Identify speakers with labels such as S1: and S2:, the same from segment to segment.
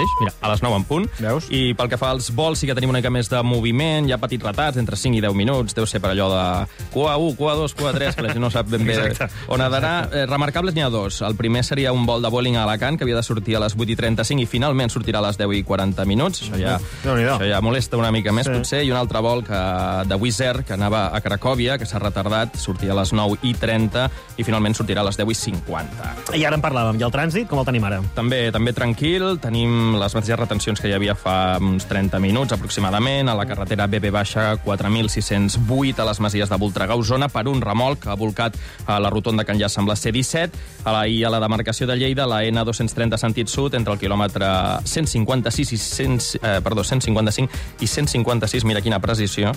S1: mateix, mira, a les 9 en punt.
S2: Veus?
S1: I pel que fa als vols sí que tenim una mica més de moviment, hi ha petits retards, entre 5 i 10 minuts, deu ser per allò de cua 1, cua 2, cua 3, que la gent no sap ben bé on ha d'anar. Remarcables n'hi ha dos. El primer seria un vol de Vueling a Alacant, que havia de sortir a les 8:35 i finalment sortirà a les 10:40. Això ja molesta una mica més, potser. I un altre vol de Wizz Air, que anava a Cracòvia, que s'ha retardat, sortia a les 9:30 i finalment sortirà a les 10:50.
S2: I ara en parlàvem. I el trànsit, com el tenim ara?
S1: També tranquil. Tenim les mateixes retencions que hi havia fa uns 30 minuts, aproximadament, a la carretera BB-4608, a les Masies de Voltregà, Osona, per un remolc que ha volcat a la rotonda que enllaça amb la C-17, i a la demarcació de Lleida, la N230 sentit sud, entre el quilòmetre 155 i 156, mira quina precisió.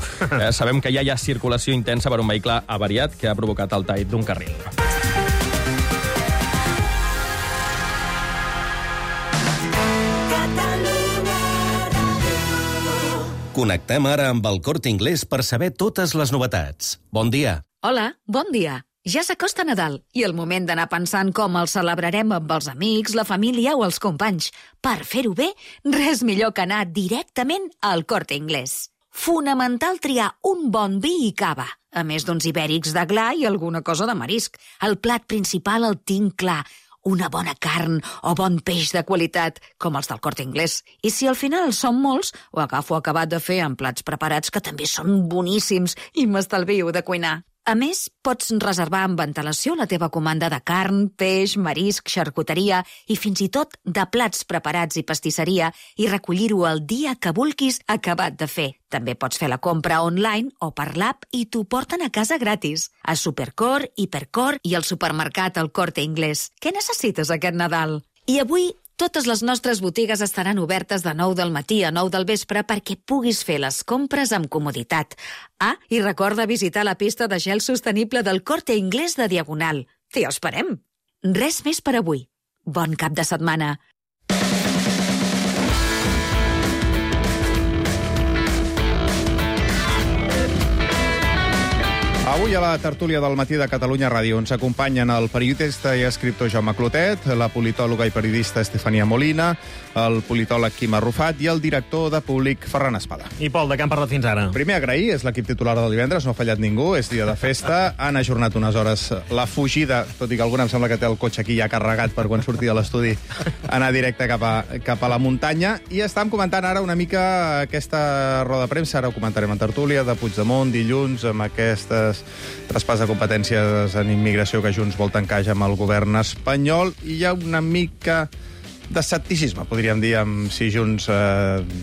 S1: Sabem que ja hi ha circulació intensa per un vehicle avariat que ha provocat el tall d'un carril.
S3: Connectem ara amb el Corte Inglés per saber totes les novetats. Bon dia.
S4: Hola, bon dia. Ja s'acosta Nadal i el moment d'anar pensant com el celebrarem amb els amics, la família o els companys. Per fer-ho bé, res millor que anar directament al Corte Inglés. Fonamental triar un bon vi i cava, a més d'uns ibèrics de gla i alguna cosa de marisc. El plat principal el tinc clar, una bona carn o bon peix de qualitat, com els del Corte Inglés. I si al final són molts, ho agafo acabat de fer en plats preparats que també són boníssims i m'estalvio de cuinar. A més, pots reservar amb antelació la teva comanda de carn, peix, marisc, xarcuteria i fins i tot de plats preparats i pastisseria i recollir-ho el dia que vulguis acabat de fer. També pots fer la compra online o per l'app i t'ho porten a casa gratis. A Supercor, Hipercor i al supermercat El Corte Inglés. Què necessites aquest Nadal? I avui totes les nostres botigues estaran obertes de 9 del matí a 9 del vespre perquè puguis fer les compres amb comoditat. I recorda visitar la pista de gel sostenible del Corte Inglés de Diagonal. T'hi esperem! Res més per avui. Bon cap de setmana!
S5: Avui a la tertúlia del Matí de Catalunya Ràdio ens acompanyen el periodista i escriptor Jaume Clotet, la politòloga i periodista Estefania Molina, el politòleg Quim Arrufat i el director de Públic Ferran Espada.
S2: I Pol, de què han parlat fins ara?
S5: Primer agrair, és l'equip titular del divendres, no ha fallat ningú, és dia de festa, han ajornat unes hores la fugida, tot i que algun em sembla que té el cotxe aquí ja carregat per quan surti de l'estudi, anar directe cap a la muntanya, i estàvem comentant ara una mica aquesta roda de premsa, ara ho comentarem en tertúlia, de Puigdemont, dilluns, amb aquestes traspàs de competències en immigració que Junts vol tancar ja amb el govern espanyol, i hi ha una mica d'escepticisme, podríem dir, amb si Junts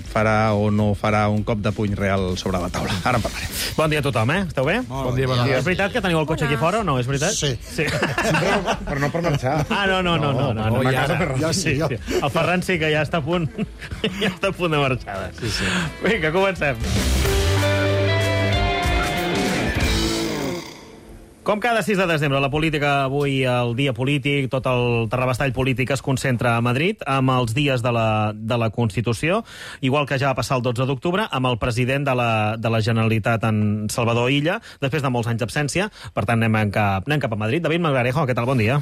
S5: farà o no farà un cop de puny real sobre la taula. Ara en parlarem.
S2: Bon dia a tothom, Esteu bé?
S6: Bon dia, bon dia.
S2: És veritat que teniu el cotxe aquí fora o no? És veritat?
S6: Sí.
S5: Però no per marxar.
S2: No.
S6: Ja sí.
S2: El Ferran sí que ja està a punt. Ja està a punt de marxada.
S6: Sí.
S2: Vinga, comencem. Com cada 6 de desembre, la política avui, el dia polític, tot el terrabastall polític es concentra a Madrid, amb els dies de la Constitució, igual que ja va passar el 12 d'octubre, amb el president de la Generalitat, en Salvador Illa, després de molts anys d'absència. Per tant, anem cap a Madrid. David Melgarejo, què tal? Bon dia.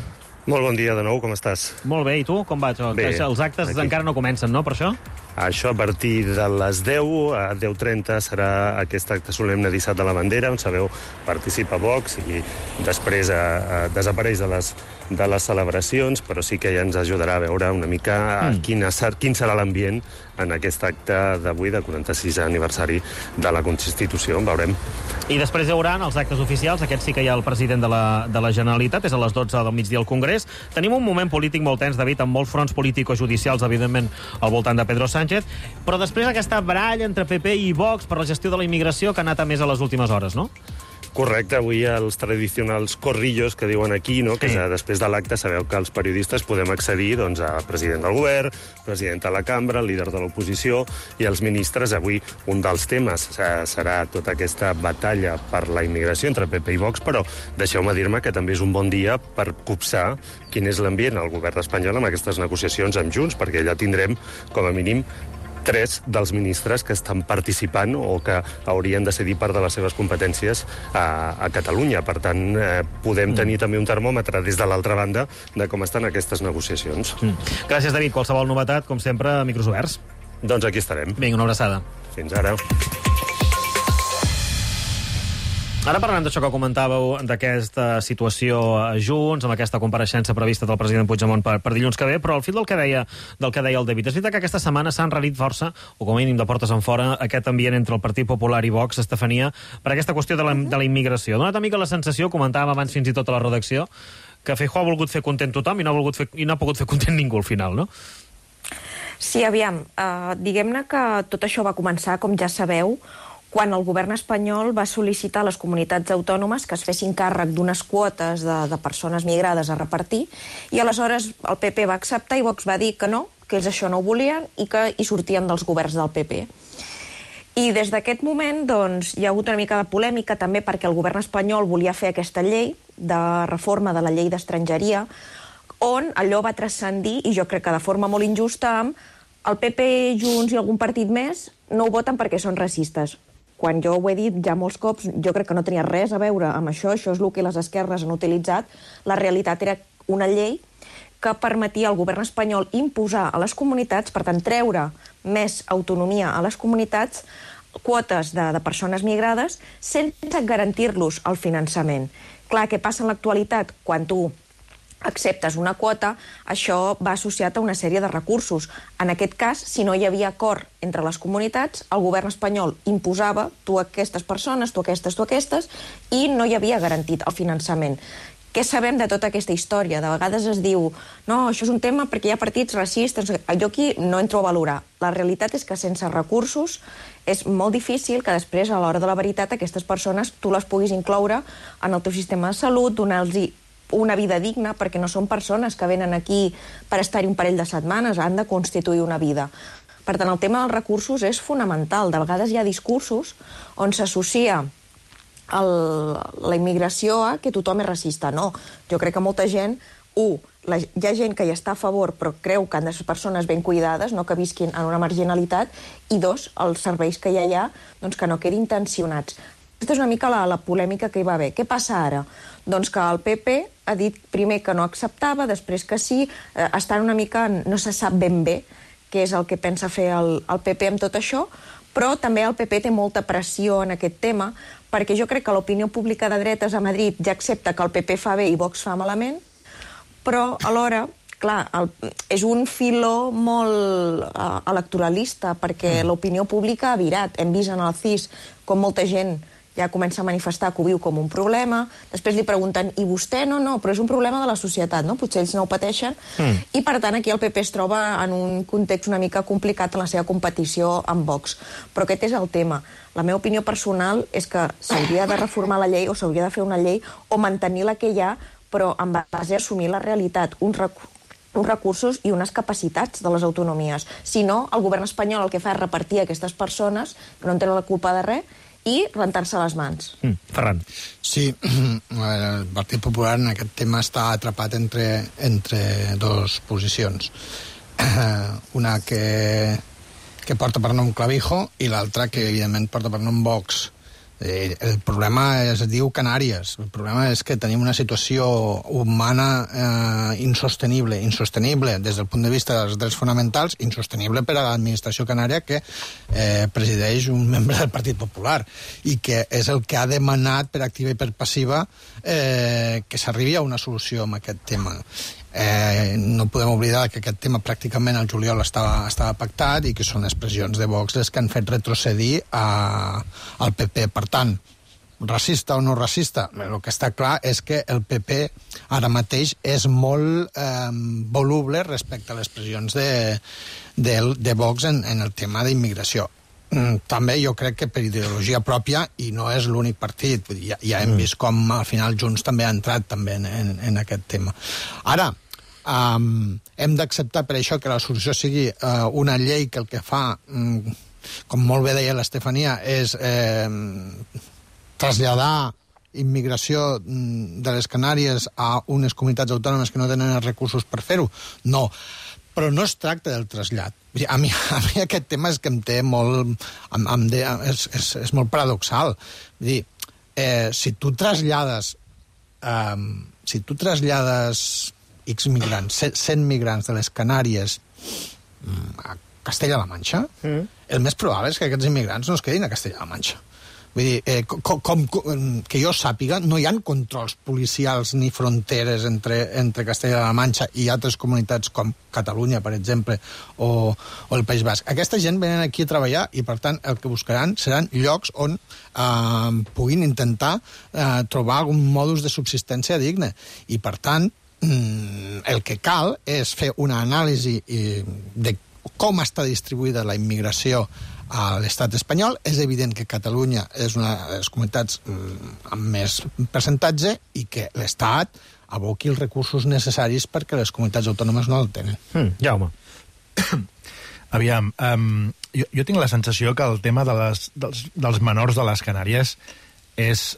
S7: Molt bon dia de nou, com estàs?
S2: Molt bé, i tu? Com va això?
S7: Bé,
S2: Els actes
S7: aquí.
S2: encara no comencen, no, per això?
S7: Això a partir de les 10, a 10:30 serà aquest acte solemne d'Issat de la Bandera, on sabeu, participa Vox i després desapareix de les celebracions, però sí que ja ens ajudarà a veure una mica quin serà l'ambient en aquest acte d'avui, de 46è aniversari de la Constitució. En veurem.
S2: I després hi haurà els actes oficials, aquest sí que hi ha el president de la Generalitat, és a les 12 del migdia al Congrés. Tenim un moment polític molt tens, David, amb molts fronts político-judicials, evidentment, al voltant de Pedro Sánchez, però després aquesta baralla entre PP i Vox per la gestió de la immigració que ha anat a més a les últimes hores, no?
S7: Correcte, avui els tradicionals corrillos que diuen aquí, no? Que després de l'acte sabeu que els periodistes podem accedir doncs, a president del govern, president de la cambra, líder de l'oposició i els ministres. Avui un dels temes serà tota aquesta batalla per la immigració entre PP i Vox, però deixeu-me dir-me que també és un bon dia per copsar quin és l'ambient al govern espanyol amb aquestes negociacions amb Junts, perquè allà tindrem, com a mínim, 3 dels ministres que estan participant o que haurien de cedir part de les seves competències a Catalunya. Per tant, podem tenir també un termòmetre des de l'altra banda de com estan aquestes negociacions.
S2: Gràcies, David. Qualsevol novetat, com sempre, micros oberts.
S7: Doncs aquí estarem.
S2: Vinga, una abraçada.
S7: Fins ara.
S2: Ara parlem d'això que comentàveu, d'aquesta situació a Junts, amb aquesta compareixença prevista del president Puigdemont per dilluns que ve, però al fil del que deia el David, és veritat que aquesta setmana s'ha enrarit força, o com a mínim de portes en fora, aquest ambient entre el Partit Popular i Vox, Estefania, per aquesta qüestió de la immigració. Ha donat una mica la sensació, comentàvem abans fins i tot a la redacció, que Feijóo ha volgut fer content tothom i no ha pogut fer content ningú al final, no?
S8: Sí, aviam, diguem-ne que tot això va començar, com ja sabeu, quan el govern espanyol va sol·licitar a les comunitats autònomes que es fessin càrrec d'unes quotes de persones migrades a repartir, i aleshores el PP va acceptar i Vox va dir que no, que ells això no ho volien i que hi sortien dels governs del PP. I des d'aquest moment doncs, hi ha hagut una mica de polèmica també perquè el govern espanyol volia fer aquesta llei de reforma de la llei d'estrangeria, on allò va transcendir, i jo crec que de forma molt injusta, amb el PP, Junts i algun partit més no ho voten perquè són racistes. Quan jo ho he dit ja molts cops, jo crec que no tenia res a veure amb això és el que les esquerres han utilitzat. La realitat era una llei que permetia al govern espanyol imposar a les comunitats, per tant, treure més autonomia a les comunitats, quotes de persones migrades, sense garantir-los el finançament. Clar, què passa en l'actualitat? Quan tu acceptes una quota, això va associat a una sèrie de recursos. En aquest cas, si no hi havia acord entre les comunitats, el govern espanyol imposava tu aquestes persones, tu aquestes, i no hi havia garantit el finançament. Què sabem de tota aquesta història? De vegades es diu, no, això és un tema perquè hi ha partits racistes. Jo aquí no entro a valorar. La realitat és que sense recursos és molt difícil que després, a l'hora de la veritat, aquestes persones tu les puguis incloure en el teu sistema de salut, donar-los una vida digna, perquè no són persones que venen aquí per estar-hi un parell de setmanes, han de constituir una vida. Per tant, el tema dels recursos és fonamental. De vegades hi ha discursos on s'associa la immigració a que tothom és racista. No, jo crec que molta gent, hi ha gent que hi està a favor però creu que han de ser persones ben cuidades, no que visquin en una marginalitat, i dos, els serveis que hi ha, doncs que no quedin tensionats. Aquesta és una mica la polèmica que hi va haver. Què passa ara? Doncs que el PP ha dit primer que no acceptava, després que sí, estan una mica, no se sap ben bé què és el que pensa fer el PP amb tot això, però també el PP té molta pressió en aquest tema, perquè jo crec que l'opinió pública de dretes a Madrid ja accepta que el PP fa bé i Vox fa malament, però alhora, clar, és un filó molt electoralista, perquè l'opinió pública ha virat. Hem vist en el CIS com molta gent ja comença a manifestar que ho viu com un problema, després li pregunten, i vostè? No, però és un problema de la societat, no? Potser ells no ho pateixen, i per tant aquí el PP es troba en un context una mica complicat en la seva competició amb Vox. Però aquest és el tema. La meva opinió personal és que s'hauria de reformar la llei o s'hauria de fer una llei o mantenir la que hi ha, però en base a assumir la realitat, uns recursos i unes capacitats de les autonomies. Si no, el govern espanyol el que fa és repartir aquestes persones que no en tenen la culpa de res i rentar-se les mans.
S2: Ferran.
S6: Sí, el Partit Popular en aquest tema està atrapat entre dos posicions. Una que porta per nom Clavijo i l'altra que, evidentment, porta per nom Vox. El problema es diu Canàries. El problema és que tenim una situació humana insostenible des del punt de vista dels drets fonamentals, insostenible per a l'administració canària que presideix un membre del Partit Popular i que és el que ha demanat per activa i per passiva que s'arribi a una solució amb aquest tema. No podem oblidar que aquest tema pràcticament al juliol estava pactat i que són expressions de Vox les que han fet retrocedir al PP. Per tant, racista o no racista, el que està clar és que el PP ara mateix és molt voluble respecte a les pressions de Vox en el tema d'immigració. També jo crec que per ideologia pròpia, i no és l'únic partit, ja hem vist com al final Junts també ha entrat també en aquest tema. Ara, hem d'acceptar per això que la solució sigui una llei que el que fa, com molt bé deia l'Estefania, és traslladar immigració de les Canàries a unes comunitats autònomes que no tenen els recursos per fer-ho? No. però no es tracta del trasllat. A mi aquest tema és que em té molt... És molt paradoxal. Vull dir, si tu trasllades X migrants, 100 migrants de les Canàries a Castella-La Manxa, el més probable és que aquests immigrants no es quedin a Castella-La Manxa. Vull dir, que jo sàpiga, no hi ha controls policials ni fronteres entre Castella-La Manxa i altres comunitats com Catalunya, per exemple, o el País Basc. Aquesta gent venen aquí a treballar i, per tant, el que buscaran seran llocs on puguin intentar trobar algun modus de subsistència digne. I, per tant, el que cal és fer una anàlisi de com està distribuïda la immigració a l'estat espanyol. És evident que Catalunya és una de les comunitats amb més percentatge i que l'Estat aboqui els recursos necessaris perquè les comunitats autònomes no el tenen.
S2: Jaume.
S9: Aviam, jo tinc la sensació que el tema dels menors de les Canàries és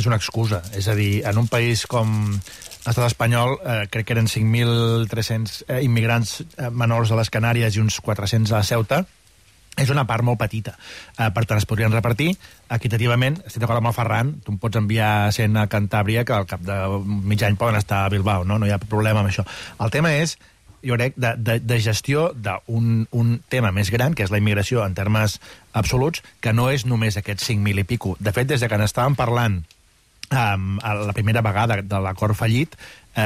S9: una excusa. És a dir, en un país com l'estat espanyol, crec que eren 5.300 immigrants menors a les Canàries i uns 400 a Ceuta, és una part molt petita. Per tant, es podrien repartir equitativament. Estic d'acord amb el Ferran, tu em pots enviar 100 a Cantàbria, que al cap de mig any poden estar a Bilbao, no hi ha problema amb això. El tema és, jo crec, de gestió d'un tema més gran, que és la immigració en termes absoluts, que no és només aquests 5.000 i pico. De fet, des de que n'estàvem parlant la primera vegada de l'acord fallit,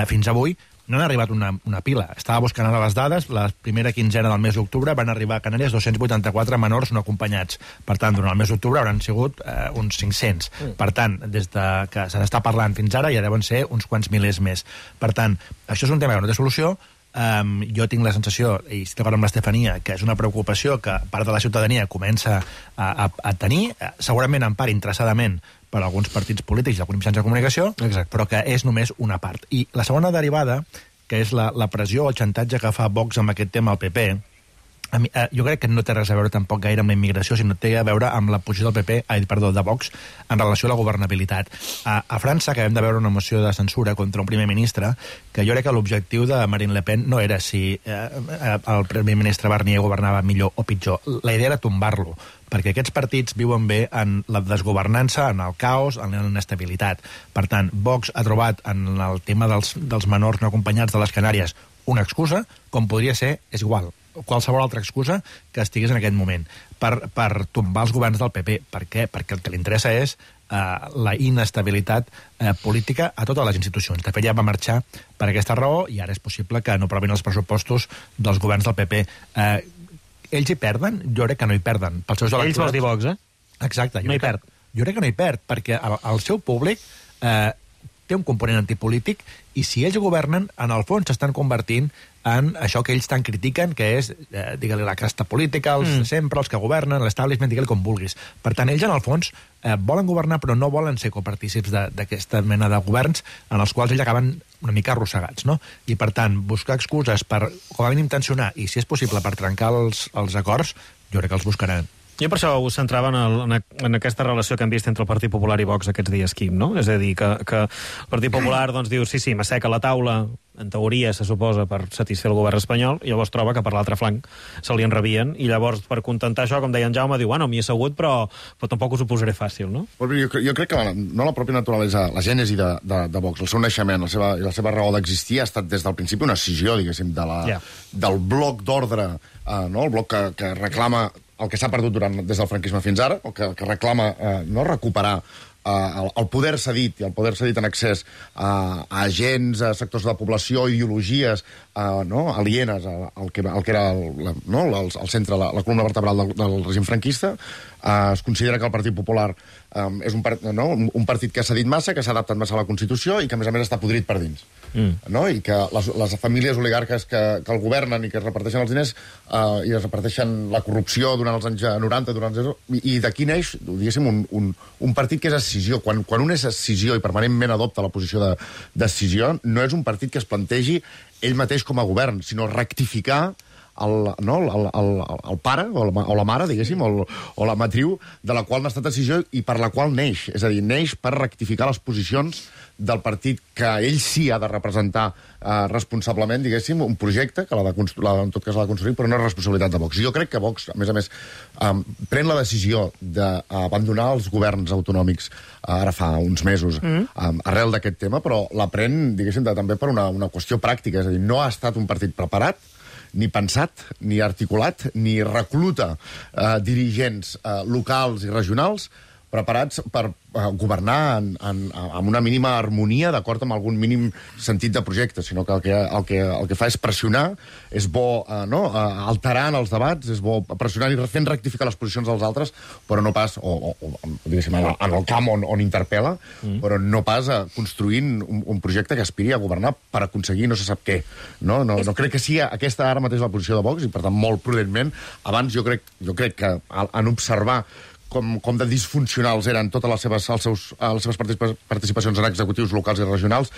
S9: fins avui, no han arribat una pila. Estava buscant ara les dades, la primera quinzena del mes d'octubre van arribar a Canàries 284 menors no acompanyats. Per tant, durant el mes d'octubre hauran sigut uns 500. Per tant, des que se n'està parlant fins ara, ja deuen ser uns quants milers més. Per tant, això és un tema que no té solució. Jo tinc la sensació, i estic d'acord amb l'Estefania, que és una preocupació que part de la ciutadania comença a tenir, segurament en part interessadament per alguns partits polítics i alguns mitjans de comunicació, però que és només una part. I la segona derivada, que és la pressió o el xantatge que fa Vox amb aquest tema al PP, jo crec que no té res a veure tampoc gaire amb la immigració, sinó té a veure amb la posició del PP, de Vox, en relació a la governabilitat. A França acabem de veure una moció de censura contra un primer ministre, que jo crec que l'objectiu de Marine Le Pen no era si el primer ministre Barnier governava millor o pitjor. La idea era tombar-lo, perquè aquests partits viuen bé en la desgovernança, en el caos, en la inestabilitat. Per tant, Vox ha trobat en el tema dels menors no acompanyats de les Canàries una excusa, com podria ser, és igual, qualsevol altra excusa que estigués en aquest moment, per tombar els governs del PP. Per què? Perquè el que li interessa és la inestabilitat política a totes les institucions. De fet, ja va marxar per aquesta raó i ara és possible que no aprovin els pressupostos dels governs del PP. Ells hi perden? Jo crec que no hi perden. Pels seus electorats...
S2: Ells vols dir Vox,
S9: Exacte.
S2: No hi perd.
S9: Jo crec que no hi perd, perquè el seu públic té un component antipolític i si ells governen, en el fons s'estan convertint en això que ells tant critiquen, que és, digue-li, la casta política, els de sempre, els que governen, l'establishment, digue-li com vulguis. Per tant, ells, en el fons, volen governar, però no volen ser copartícips d'aquesta mena de governs en els quals ells acaben una mica arrossegats, no? I, per tant, buscar excuses per, com a mínim, tensionar, i, si és possible, per trencar els acords, jo crec que els buscaran.
S2: Jo per això us centrava en aquesta relació que hem vist entre el Partit Popular i Vox aquests dies, Quim, no? És a dir, que el Partit Popular doncs, diu sí, m'asseca la taula, en teoria se suposa per satisfer el govern espanyol, i llavors troba que per l'altre flanc se li enrabien, i llavors per contentar això, com deia en Jaume, diu, bueno, m'hi he assegut, però tampoc us ho posaré fàcil, no?
S10: Jo crec que no la pròpia naturalesa, la gènesi de Vox, el seu naixement, la seva raó d'existir ha estat des del principi una escissió, diguéssim, del bloc d'ordre, el bloc que reclama el que s'ha perdut des del franquisme fins ara, o que reclama recuperar el poder cedit, i el poder cedit en accés a agents, a sectors de la població, ideologies alienes al que era el centre, la columna vertebral del règim franquista. Es considera que el Partit Popular és un partit que ha cedit massa, que s'ha adaptat massa a la Constitució i que, a més està podrit per dins. I que les famílies oligarques que el governen i que es reparteixen els diners i es reparteixen la corrupció durant els anys 90, i d'aquí neix, diguéssim, un partit que és escissió. Quan un és escissió i permanentment adopta la posició d'escissió, no és un partit que es plantegi ell mateix com a govern, sinó rectificar el pare, o la mare, diguéssim, o la matriu, de la qual n'ha estat decisió i per la qual neix. És a dir, neix per rectificar les posicions del partit que ell sí ha de representar responsablement, diguéssim, un projecte que en tot cas l'ha de construir, però no és responsabilitat de Vox. Jo crec que Vox, a més, pren la decisió d'abandonar els governs autonòmics ara fa uns mesos arrel d'aquest tema, però la pren, diguéssim, també per una qüestió pràctica. És a dir, no ha estat un partit preparat, ni pensat, ni articulat, ni recluta dirigents locals i regionals preparats per governar amb una mínima harmonia, d'acord amb algun mínim sentit de projecte, sinó que el que fa és pressionar, és bo alterant els debats, és bo pressionar i fent rectificar les posicions dels altres, però no pas, diguéssim, en el camp on interpel·la, però no pas construint un projecte que aspiri a governar per aconseguir no se sap què. No crec que sigui aquesta ara mateix la posició de Vox, i per tant, molt prudentment, abans jo crec que en observar com de disfuncionals eren totes les seves participacions en executius locals i regionals,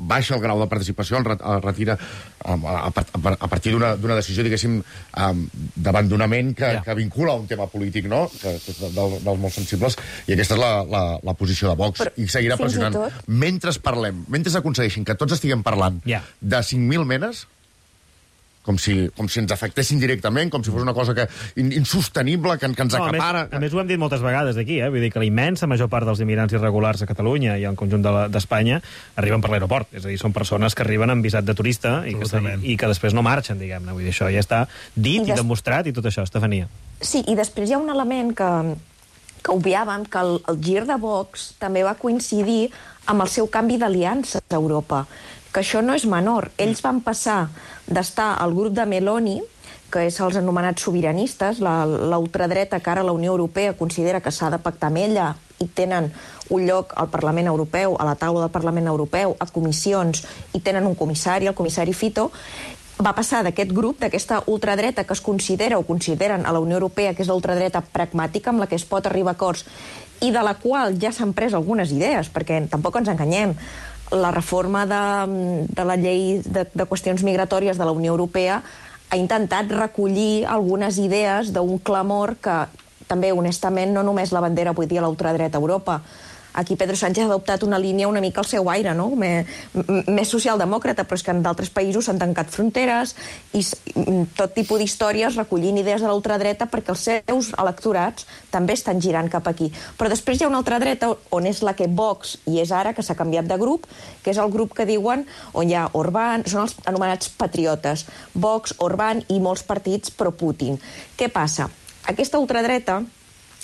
S10: baixa el grau de participació, retira a partir d'una decisió, diguéssim, d'abandonament que vincula un tema polític, que és dels molt sensibles, i aquesta és la posició de Vox, i seguirà pressionant. Mentre parlem, mentre aconsegueixin que tots estiguem parlant de 5.000 menes, com si ens afectessin directament, com si fos una cosa insostenible, que ens acapara...
S2: A més, ho hem dit moltes vegades aquí, vull dir que la immensa major part dels immigrants irregulars a Catalunya i al conjunt d'Espanya arriben per l'aeroport. És a dir, són persones que arriben amb visat de turista i que després no marxen, diguem-ne. Vull dir, això ja està dit i demostrat i tot això, Estefania.
S8: Sí, i després hi ha un element que obviàvem, que el gir de Vox també va coincidir amb el seu canvi d'aliances a Europa, que això no és menor. Ells van passar d'estar al grup de Meloni, que és els anomenats sobiranistes, la ultradreta que ara la Unió Europea considera que s'ha de pactar amb ella i tenen un lloc al Parlament Europeu, a la taula del Parlament Europeu, a comissions, i tenen un comissari, el comissari Fito, va passar d'aquest grup, d'aquesta ultradreta que es considera o consideren a la Unió Europea que és l'ultradreta pragmàtica amb la que es pot arribar a acords i de la qual ja s'han pres algunes idees, perquè tampoc ens enganyem. La reforma de la llei de qüestions migratòries de la Unió Europea ha intentat recollir algunes idees d'un clamor que també, honestament, no només la bandera avui dia l'ultradreta a Europa. Aquí Pedro Sánchez ha adoptat una línia una mica al seu aire, no? Més socialdemòcrata, però és que en d'altres països s'han tancat fronteres i tot tipus d'històries recollint idees de l'ultradreta perquè els seus electorats també estan girant cap aquí. Però després hi ha una altra dreta on és la que Vox, i és ara que s'ha canviat de grup, que és el grup que diuen on hi ha Orbán, són els anomenats patriotes, Vox, Orbán i molts partits pro-Putin. Què passa? Aquesta ultradreta,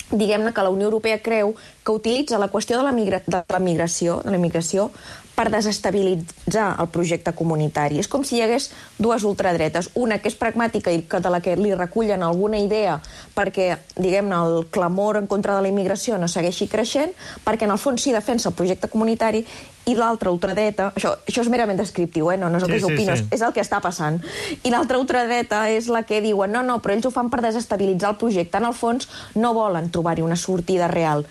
S8: diguem-ne que la Unió Europea creu que utilitza la qüestió de la migració per desestabilitzar el projecte comunitari. És com si hi hagués dues ultradretes, una que és pragmàtica i de la que li recullen alguna idea perquè, diguem-ne, el clamor en contra de la immigració no segueixi creixent, perquè en el fons sí defensa el projecte comunitari, i l'altra ultradreta, això és merament descriptiu, no és el que s'opina, és el que està passant, i l'altra ultradreta és la que diuen no, però ells ho fan per desestabilitzar el projecte, en el fons no volen trobar-hi una sortida real.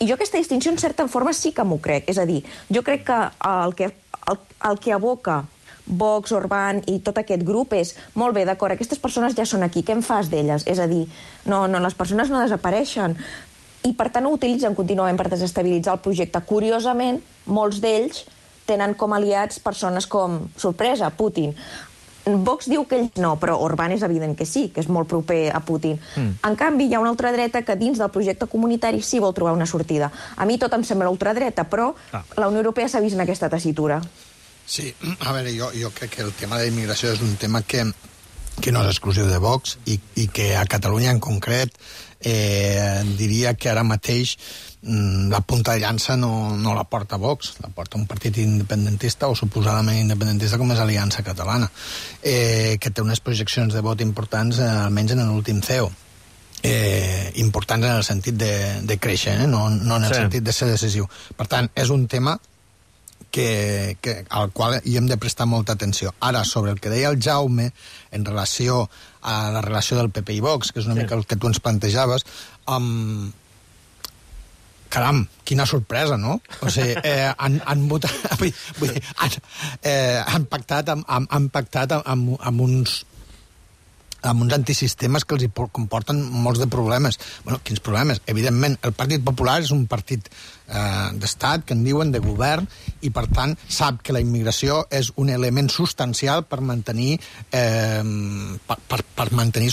S8: I jo aquesta distinció, en certa forma, sí que m'ho crec. És a dir, jo crec que el que aboca Vox, Orbán i tot aquest grup és, molt bé, d'acord, aquestes persones ja són aquí, què en fas d'elles? És a dir, no, les persones no desapareixen. I, per tant, ho utilitzen contínuament per desestabilitzar el projecte. Curiosament, molts d'ells tenen com aliats persones com, sorpresa, Putin. Vox diu que ells no, però Orbán és evident que sí, que és molt proper a Putin. En canvi, hi ha una ultradreta que dins del projecte comunitari sí vol trobar una sortida. A mi tot em sembla ultradreta, però la Unió Europea s'ha vist en aquesta tessitura.
S6: Sí, a veure, jo crec que el tema de la immigració és un tema que no és exclusiu de Vox i que a Catalunya en concret diria que ara mateix la punta de llança no la porta Vox, la porta un partit independentista o suposadament independentista com és Aliança Catalana, que té unes projeccions de vot importants, almenys en l'últim CEO. Importants en el sentit de créixer, no en el sentit de ser decisiu. Per tant, és un tema al qual hi hem de prestar molta atenció. Ara, sobre el que deia el Jaume en relació a la relació del PP i Vox, que és una mica el que tu ens plantejaves, caram, quina sorpresa, no? O sigui, han votat... han pactat amb uns amb uns antisistemes que els comporten molts de problemes. Bueno, quins problemes? Evidentment, el Partit Popular és un partit d'estat, que en diuen, de govern, i per tant sap que la immigració és un element substancial per mantenir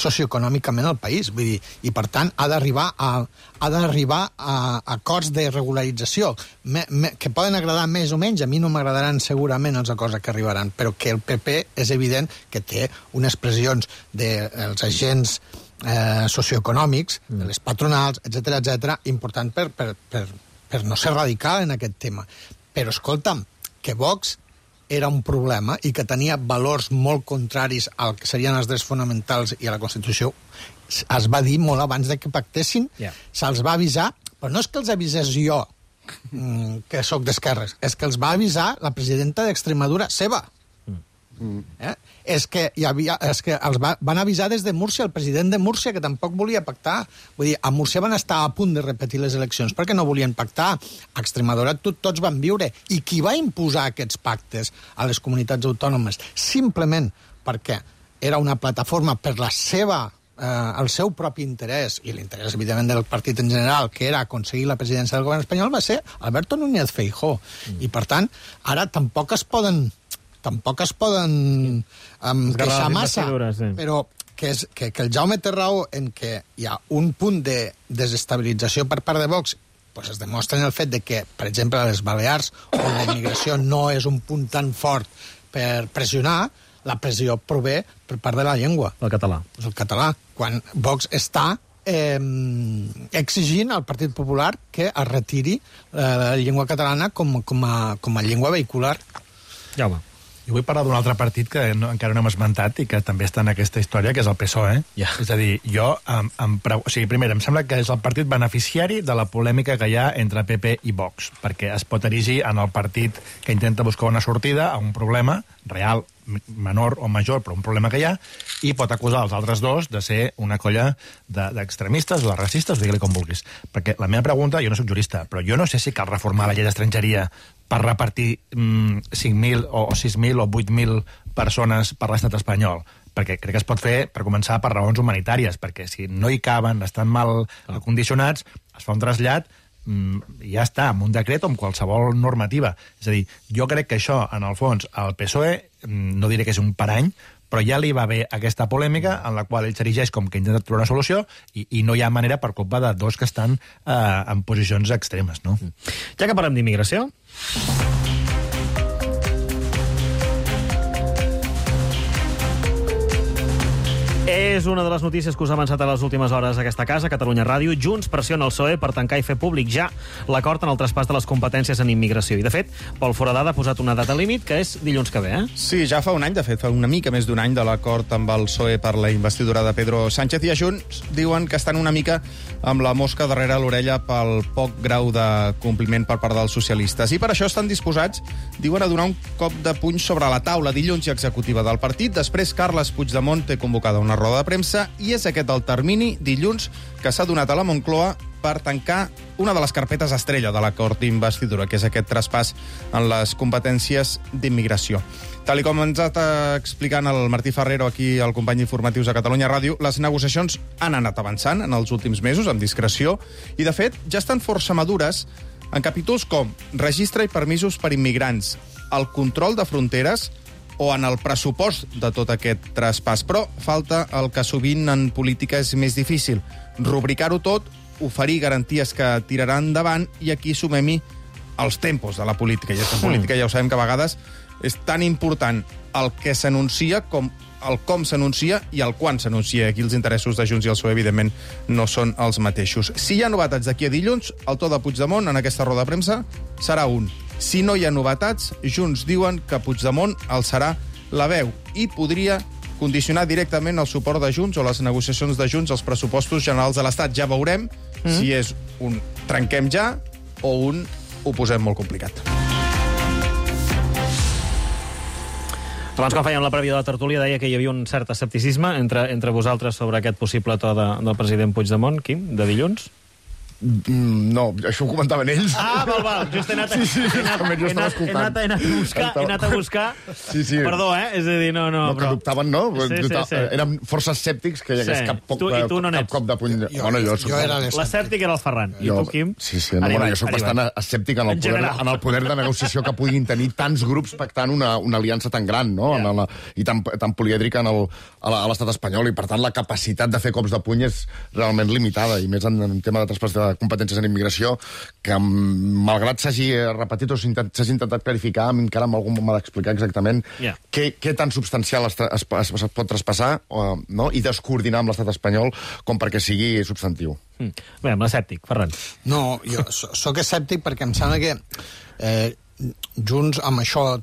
S6: socioeconòmicament el país. Vull dir, i per tant ha d'arribar a acords de regularització que poden agradar més o menys. A mi no m'agradaran segurament els acords a què arribaran, però que el PP és evident que té unes pressions dels agents socioeconòmics, de les patronals, etc, important per no ser radical en aquest tema. Però, escolta'm, que Vox era un problema i que tenia valors molt contraris al que serien els drets fonamentals i a la Constitució, es va dir molt abans de que pactessin, se'ls va avisar, però no és que els avisés jo, que sóc d'esquerres, és que els va avisar la presidenta d'Extremadura seva. És que els van avisar des de Múrcia, el president de Múrcia, que tampoc volia pactar. Vull dir, a Múrcia van estar a punt de repetir les eleccions perquè no volien pactar. A Extremadura tots van viure. I qui va imposar aquests pactes a les comunitats autònomes? Simplement perquè era una plataforma per el seu propi interès, i l'interès, evidentment, del partit en general, que era aconseguir la presidència del govern espanyol, va ser Alberto Núñez Feijóo. I, per tant, ara tampoc es poden queixar massa, però que el Jaume té raó en que hi ha un punt de desestabilització per part de Vox, pues es demostra en el fet de que, per exemple, a les Balears, on la immigració no és un punt tan fort per pressionar, la pressió prové per part de la llengua.
S2: El català.
S6: El català. Quan Vox està exigint al Partit Popular que es retiri la llengua catalana com a llengua vehicular.
S2: Jaume.
S9: Jo vull parlar d'un altre partit que encara no hem esmentat i que també està en aquesta història, que és el PSOE. És a dir, primer, em sembla que és el partit beneficiari de la polèmica que hi ha entre PP i Vox, perquè es pot erigir en el partit que intenta buscar una sortida a un problema real, menor o major, però un problema que hi ha, i pot acusar els altres dos de ser una colla d'extremistes o de racistes, digue-li com vulguis. Perquè la meva pregunta, jo no soc jurista, però jo no sé si cal reformar la llei d'estrangeria per repartir 5.000 o 6.000 o 8.000 persones per l'estat espanyol, perquè crec que es pot fer, per començar, per raons humanitàries, perquè si no hi caben, estan mal condicionats, es fa un trasllat i ja està, amb un decret o amb qualsevol normativa. És a dir, jo crec que això, en el fons, al PSOE, no diré que és un parany, però ja li va haver aquesta polèmica en la qual ell s'erigeix com que intenta trobar una solució i no hi ha manera per culpa de dos que estan en posicions extremes, no?
S2: Ja que parlem d'immigració... És una de les notícies que us ha avançat a les últimes hores aquesta casa, Catalunya Ràdio. Junts pressiona el PSOE per tancar i fer públic ja l'acord en el traspàs de les competències en immigració. I, de fet, Pol Foradada ha posat una data límit, que és dilluns que ve,
S5: Sí, ja fa un any, de fet, fa una mica més d'un any de l'acord amb el PSOE per la investidura de Pedro Sánchez, i a Junts diuen que estan una mica amb la mosca darrere l'orella pel poc grau de compliment per part dels socialistes. I per això estan disposats, diuen, a donar un cop de puny sobre la taula dilluns i executiva del partit. Després, Carles Puigdemont té convocada una roda de premsa i és aquest el termini, dilluns, que s'ha donat a la Moncloa per tancar una de les carpetes estrella de l'acord d'investidura, que és aquest traspàs en les competències d'immigració. Tal com ens ha explicant el Martí Ferrero, aquí el company d'informatius de Catalunya Ràdio, les negociacions han anat avançant en els últims mesos, amb discreció, i, de fet, ja estan força madures en capítols com registre i permisos per immigrants, el control de fronteres o en el pressupost de tot aquest traspàs. Però falta el que sovint en política és més difícil, rubricar-ho tot, oferir garanties que tiraran endavant, i aquí sumem-hi els tempos de la política. I aquesta política ja ho sabem que a vegades és tan important el que s'anuncia com el com s'anuncia i el quan s'anuncia. Aquí els interessos de Junts i el PSOE, evidentment, no són els mateixos. Si hi ha novetats d'aquí a dilluns, el to de Puigdemont en aquesta roda de premsa serà un. Si no hi ha novetats, Junts diuen que Puigdemont alçarà la veu i podria condicionar directament el suport de Junts o les negociacions de Junts als pressupostos generals de l'Estat. Ja veurem si és un trenquem ja o un ho posem molt complicat.
S2: Abans, quan fèiem la prèvia de la tertúlia, deia que hi havia un cert escepticisme entre vosaltres sobre aquest possible to del president Puigdemont. Quim, de dilluns?
S10: No, això ho comentaven ells.
S2: Val. Just he anat a buscar.
S10: Sí.
S2: Perdó,
S10: És a dir, no,
S2: però...
S10: que dubtaven, no?
S2: Sí.
S10: Érem força escèptics que hi hagués cap cop de puny.
S6: Jo era
S2: l'escèptic era el Ferran. I tu, Quim?
S10: Sí, jo soc bastant escèptic en el poder de negociació que puguin tenir tants grups pactant una aliança tan gran, no? I tan polièdrica a l'estat espanyol, i per tant la capacitat de fer cops de puny és realment limitada, i més en tema de traspàs de competències en immigració, que malgrat s'hagi repetit o s'hagi intentat clarificar, encara amb algú m'ha d'explicar exactament què tan substancial es pot traspassar i descoordinar amb l'estat espanyol com perquè sigui substantiu.
S2: Bé, amb l'escèptic, Ferran.
S6: No, jo sóc escèptic perquè em sembla que Junts amb això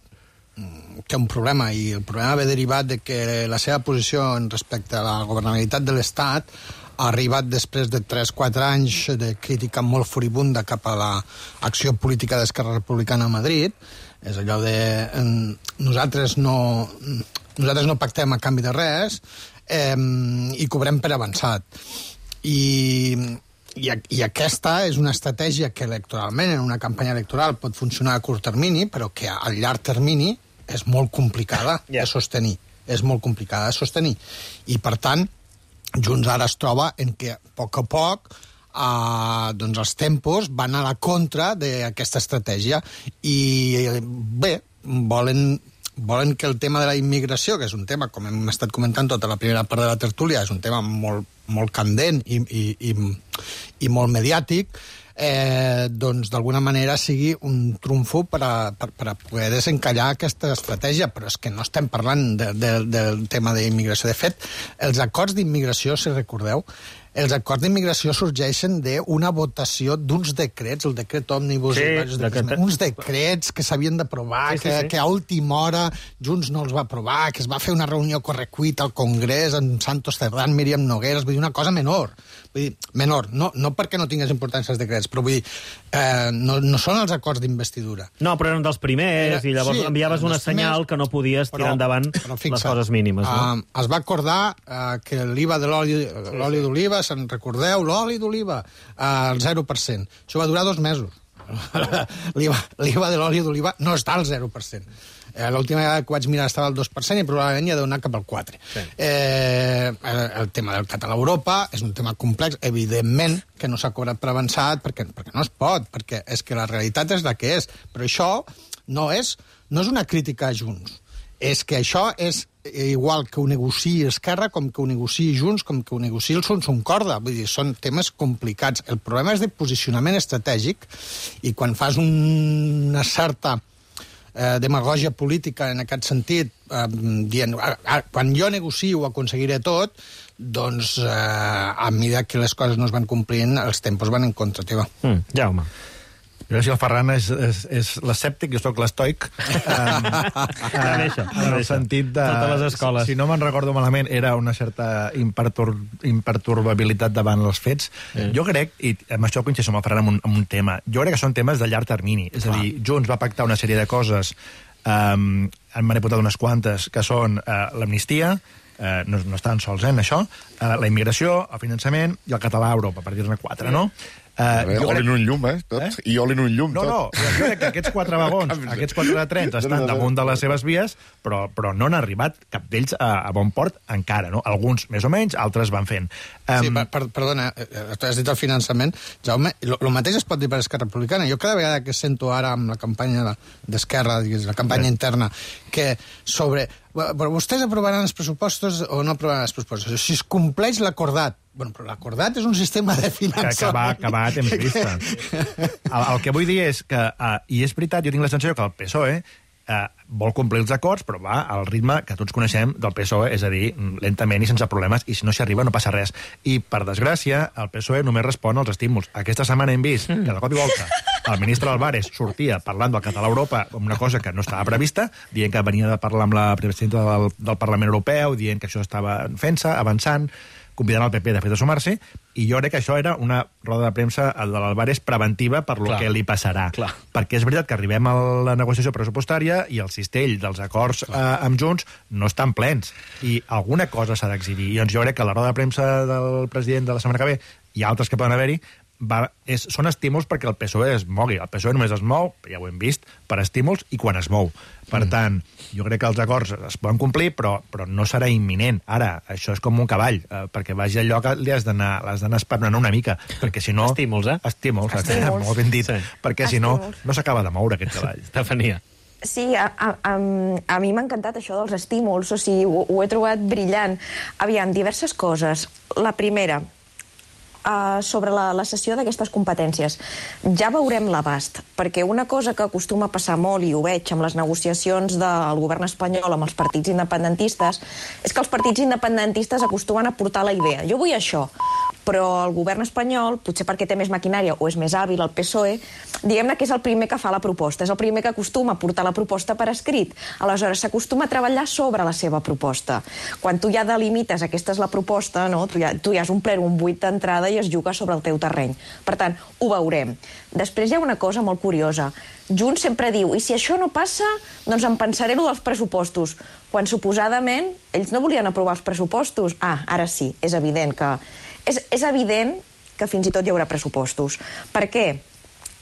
S6: té un problema, i el problema ve derivat de que la seva posició respecte a la governabilitat de l'Estat ha arribat després de 3-4 anys de crítica molt furibunda cap a l'acció política d'Esquerra Republicana a Madrid. És allò de nosaltres no pactem a canvi de res i cobrem per avançat. I aquesta és una estratègia que electoralment, en una campanya electoral, pot funcionar a curt termini, però que a llarg termini és molt complicada de sostenir. És molt complicada de sostenir. I, per tant, Junts ara es troba en què, a poc, doncs els tempos van a la contra d'aquesta estratègia. I, bé, volen que el tema de la immigració, que és un tema, com hem estat comentant tota la primera part de la tertúlia, és un tema molt candent i molt mediàtic, doncs d'alguna manera sigui un trumfo per a poder desencallar aquesta estratègia, però és que no estem parlant del tema d'immigració. De fet, els acords d'immigració, si recordeu, els acords d'immigració sorgeixen d'una votació d'uns decrets, el decret òmnibus, uns decrets que s'havien d'aprovar, que a última hora Junts no els va aprovar, que es va fer una reunió correcuita al Congrés amb Santos Cerdán, Míriam Nogueras, vull dir, una cosa menor. Vull dir, menor, no perquè no tingués importància els decrets, però vull dir, no són els acords d'investidura.
S2: No, però eren dels primers, i llavors enviaves una senyal que no podies tirar endavant les coses mínimes.
S6: Es va acordar que l'IVA de l'oli d'oliva, se'n recordeu, l'oli d'oliva, al 0%. Això va durar 2 mesos. L'IVA de l'oli d'oliva no està al 0%. L'última vegada que vaig mirar estava al 2% i probablement ja deu anar cap al 4%. Sí. El tema del català a Europa és un tema complex. Evidentment que no s'ha cobrat per avançat perquè no es pot, perquè és que la realitat és la que és. Però això no és una crítica a Junts. És que això és igual que ho negociï Esquerra, com que ho negociï Junts, com que ho negociï el Son Corda. Vull dir, són temes complicats. El problema és de posicionament estratègic, i quan fas una certa demagògia política en aquest sentit, dient, quan jo negocio ho aconseguiré tot, doncs a mesura que les coses no es van complint, els tempos van en contra teva.
S2: Jaume.
S9: Jo, si el Ferran és l'escèptic, jo sóc l'estoic. En el sentit de...
S2: Totes les escoles.
S9: Si no me'n recordo malament, era una certa imperturbabilitat davant els fets. Jo crec, i amb això coincideixo amb el Ferran amb un tema, jo crec que són temes de llarg termini. És a dir, Junts va pactar una sèrie de coses, en m'han apuntat unes quantes, que són l'amnistia, no estan sols en això, la immigració, el finançament i el català a Europa, per dir-ne 4, no?
S10: Oli en un llum, tots. I oli en un llum, tot.
S9: No, jo crec que aquests 4 vagons, aquests 4 trens estan damunt de les seves vies, però no han arribat cap d'ells a bon port encara, no? Alguns més o menys, altres van fent.
S6: Sí, perdona, tu has dit el finançament. Jaume, el mateix es pot dir per Esquerra Republicana. Jo cada vegada que sento ara amb la campanya d'Esquerra, la campanya interna, que sobre... Però vostès aprovaran els pressupostos o no aprovaran els pressupostos? Si es compleix l'acordat. Bueno, però l'acordat és un sistema de finançament...
S9: Que va a temps vista. El que vull dir és que, i és veritat, jo tinc la sensació que el PSOE vol complir els acords, però va al ritme que tots coneixem del PSOE, és a dir, lentament i sense problemes, i si no s'hi arriba no passa res. I, per desgràcia, el PSOE només respon als estímuls. Aquesta setmana hem vist que de cop i volta el ministre Álvarez sortia parlant del català a Europa, una cosa que no estava prevista, dient que venia de parlar amb la presidenta del Parlament Europeu, dient que això estava fent-se, avançant, convidant el PP de fet a sumar-se, i jo crec que això era una roda de premsa de l'Álvarez preventiva per lo que li passarà. Perquè és veritat que arribem a la negociació pressupostària i el cistell dels acords amb Junts no estan plens, i alguna cosa s'ha d'exhibir. I doncs jo crec que la roda de premsa del president de la setmana que ve i altres que poden haver-hi són estímuls perquè el PSOE es mogui. El PSOE només es mou, ja ho hem vist, per estímuls i quan es mou. Per tant, jo crec que els acords es poden complir, però no serà imminent. Ara, això és com un cavall, perquè vagi al lloc l'has d'anar esperonant una mica, perquè si no...
S2: Estímuls,
S9: Estímuls, molt ben dit. Perquè si no, no s'acaba de moure aquest cavall.
S2: Estefania.
S8: Sí, a mi m'ha encantat això dels estímuls, o sigui, ho he trobat brillant. Aviam, diverses coses. La primera, sobre la cessió d'aquestes competències. Ja veurem l'abast, perquè una cosa que acostuma a passar molt, i ho veig amb les negociacions del govern espanyol amb els partits independentistes, és que els partits independentistes acostumen a portar la idea. Jo vull això, però el govern espanyol, potser perquè té més maquinària o és més hàbil, el PSOE, diguem-ne que és el primer que fa la proposta, és el primer que acostuma a portar la proposta per escrit. Aleshores, s'acostuma a treballar sobre la seva proposta. Quan tu ja delimites aquesta és la proposta, no? tu ja has omplert un buit d'entrada i es juga sobre el teu terreny. Per tant, ho veurem. Després hi ha una cosa molt curiosa. Junts sempre diu, i si això no passa, doncs em pensaré lo dels pressupostos. Quan suposadament ells no volien aprovar els pressupostos. Ara sí, és evident que... És evident que fins i tot hi haurà pressupostos. Per què?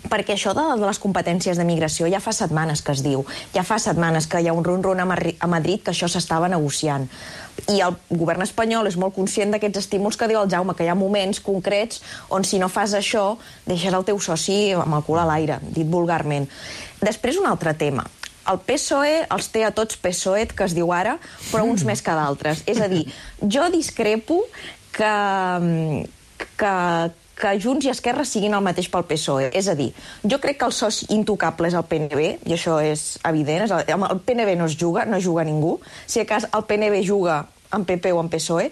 S8: Perquè això de les competències de migració ja fa setmanes que es diu. Ja fa setmanes que hi ha un run-run a Madrid que això s'estava negociant. I el govern espanyol és molt conscient d'aquests estímuls que diu el Jaume, que hi ha moments concrets on si no fas això deixes el teu soci amb el cul a l'aire, dit vulgarment. Després un altre tema. El PSOE els té a tots PSOET, que es diu ara, però uns més que d'altres. És a dir, jo discrepo que Junts i Esquerra siguin el mateix pel PSOE. És a dir, jo crec que el soci intocable és el PNB, i això és evident. Amb el PNB no es juga, no juga ningú. Si a cas el PNB juga amb PP o amb PSOE,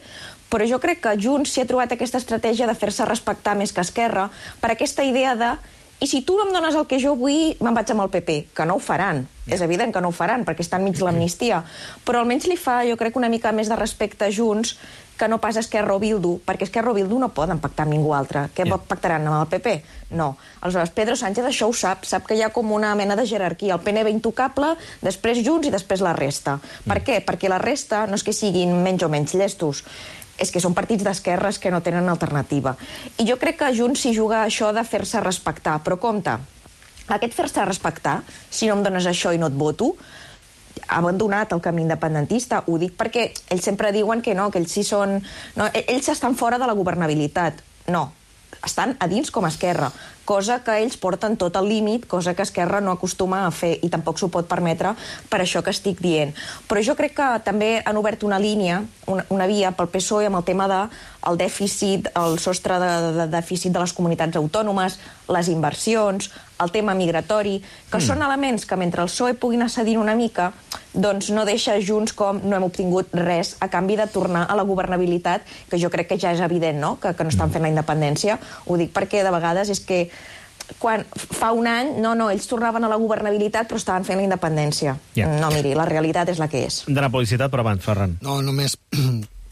S8: però jo crec que Junts s'hi ha trobat aquesta estratègia de fer-se respectar més que Esquerra per aquesta idea de i si tu no em dones el que jo vull, me'n vaig amb el PP, que no ho faran. És evident que no ho faran, perquè està enmig l'amnistia. Però almenys li fa, jo crec, una mica més de respecte a Junts que no pas Esquerra o Bildu, perquè Esquerra o Bildu no poden pactar amb ningú altre. Què pactaran amb el PP? No. Aleshores, Pedro Sánchez això ho sap que hi ha com una mena de jerarquia. El PNB intocable, després Junts i després la resta. Per què? Perquè la resta no és que siguin menys o menys llestos, és que són partits d'esquerres que no tenen alternativa. I jo crec que Junts s'hi juga això de fer-se respectar. Però compte, aquest fer-se respectar, si no em dones això i no et voto, ha abandonat el camí independentista. Ho dic perquè ells sempre diuen que no, que ells sí són... No, ells estan fora de la governabilitat. No, estan a dins com a Esquerra, cosa que ells porten tot al límit, cosa que Esquerra no acostuma a fer i tampoc s'ho pot permetre per això que estic dient. Però jo crec que també han obert una línia, una via pel PSOE amb el tema del dèficit, el sostre de dèficit de les comunitats autònomes, les inversions, el tema migratori, que són elements que mentre el PSOE pugui anar cedint una mica, doncs no deixa Junts com no hem obtingut res a canvi de tornar a la governabilitat, que jo crec que ja és evident, no?, que no estan fent la independència. Ho dic perquè de vegades és que quan fa un any, ells tornaven a la governabilitat però estaven fent la independència. No, miri, la realitat és la que és.
S2: De la publicitat, però abans, Ferran.
S6: No, només...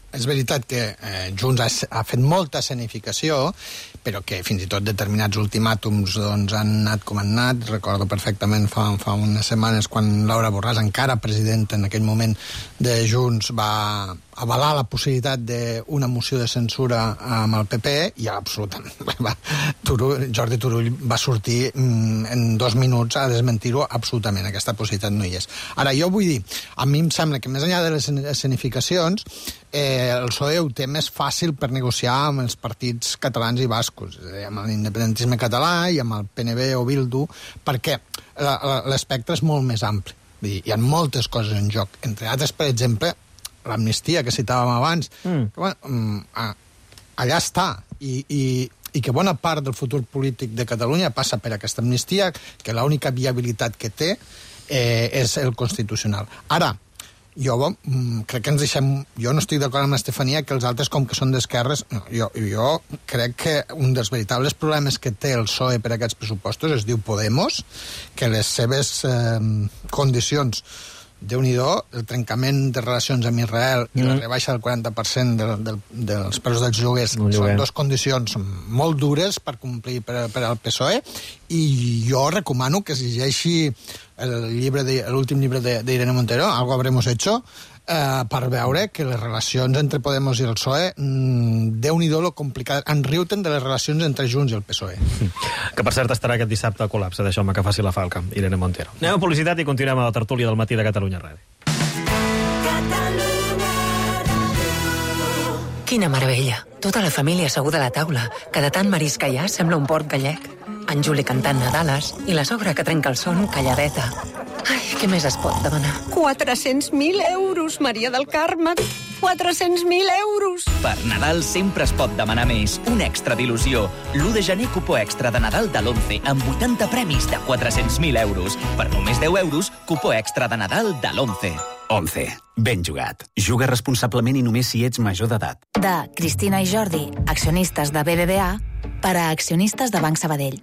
S6: És veritat que Junts ha fet molta escenificació, però que fins i tot determinats ultimàtums doncs, han anat com han anat. Recordo perfectament fa unes setmanes quan Laura Borràs, encara presidenta en aquell moment de Junts, va avalar la possibilitat d'una moció de censura amb el PP i absolutament Jordi Turull va sortir en 2 minuts a desmentir-ho absolutament. Aquesta possibilitat no hi és. Ara, jo vull dir, a mi em sembla que més enllà de les escenificacions el PSOE ho té més fàcil per negociar amb els partits catalans i bascos, amb l'independentisme català i amb el PNB o Bildu, perquè l'espectre és molt més ampli. Hi ha moltes coses en joc. Entre altres, per exemple, l'amnistia que citàvem abans, allà està, i que bona part del futur polític de Catalunya passa per aquesta amnistia, que l'única viabilitat que té és el constitucional. Ara, jo crec que ens deixem... Jo no estic d'acord amb l'Estefania que els altres, com que són d'esquerres... Jo crec que un dels veritables problemes que té el PSOE per aquests pressupostos es diu Podemos, que les seves condicions, Déu-n'hi-do, el trencament de relacions amb Israel i la rebaixa del 40% dels preus dels lloguers són 2 condicions molt dures per complir per al PSOE, i jo recomano que es llegeixi l'últim llibre d'Irene Montero, Algo habremos hecho, per veure que les relacions entre Podemos i el PSOE Déu-n'hi-do lo complicat. En riuten de les relacions entre Junts i el PSOE.
S2: Que per cert estarà aquest dissabte a col·lapse, deixeu-me que faci la falca, Irene Montero. Anem a publicitat i continuem a la tertúlia del matí de Catalunya Ràdio.
S11: Quina meravella. Tota la família asseguda a la taula, que de tant marisc que hi ha sembla un port gallec. En Juli cantant Nadales i la sogra que trenca el son calladeta. Ai, què més es pot demanar?
S12: 400.000 euros, Maria del Carme. 400.000 euros.
S13: Per Nadal sempre es pot demanar més. Un extra d'il·lusió. L'1 de gener, cupó extra de Nadal de l'11 amb 80 premis de 400.000 euros. Per només 10 euros, cupó extra de Nadal de l'11.
S14: 11. Ben jugat. Juga responsablement i només si ets major d'edat.
S4: De Cristina i Jordi, accionistes de BBVA, per a accionistes de Banc Sabadell.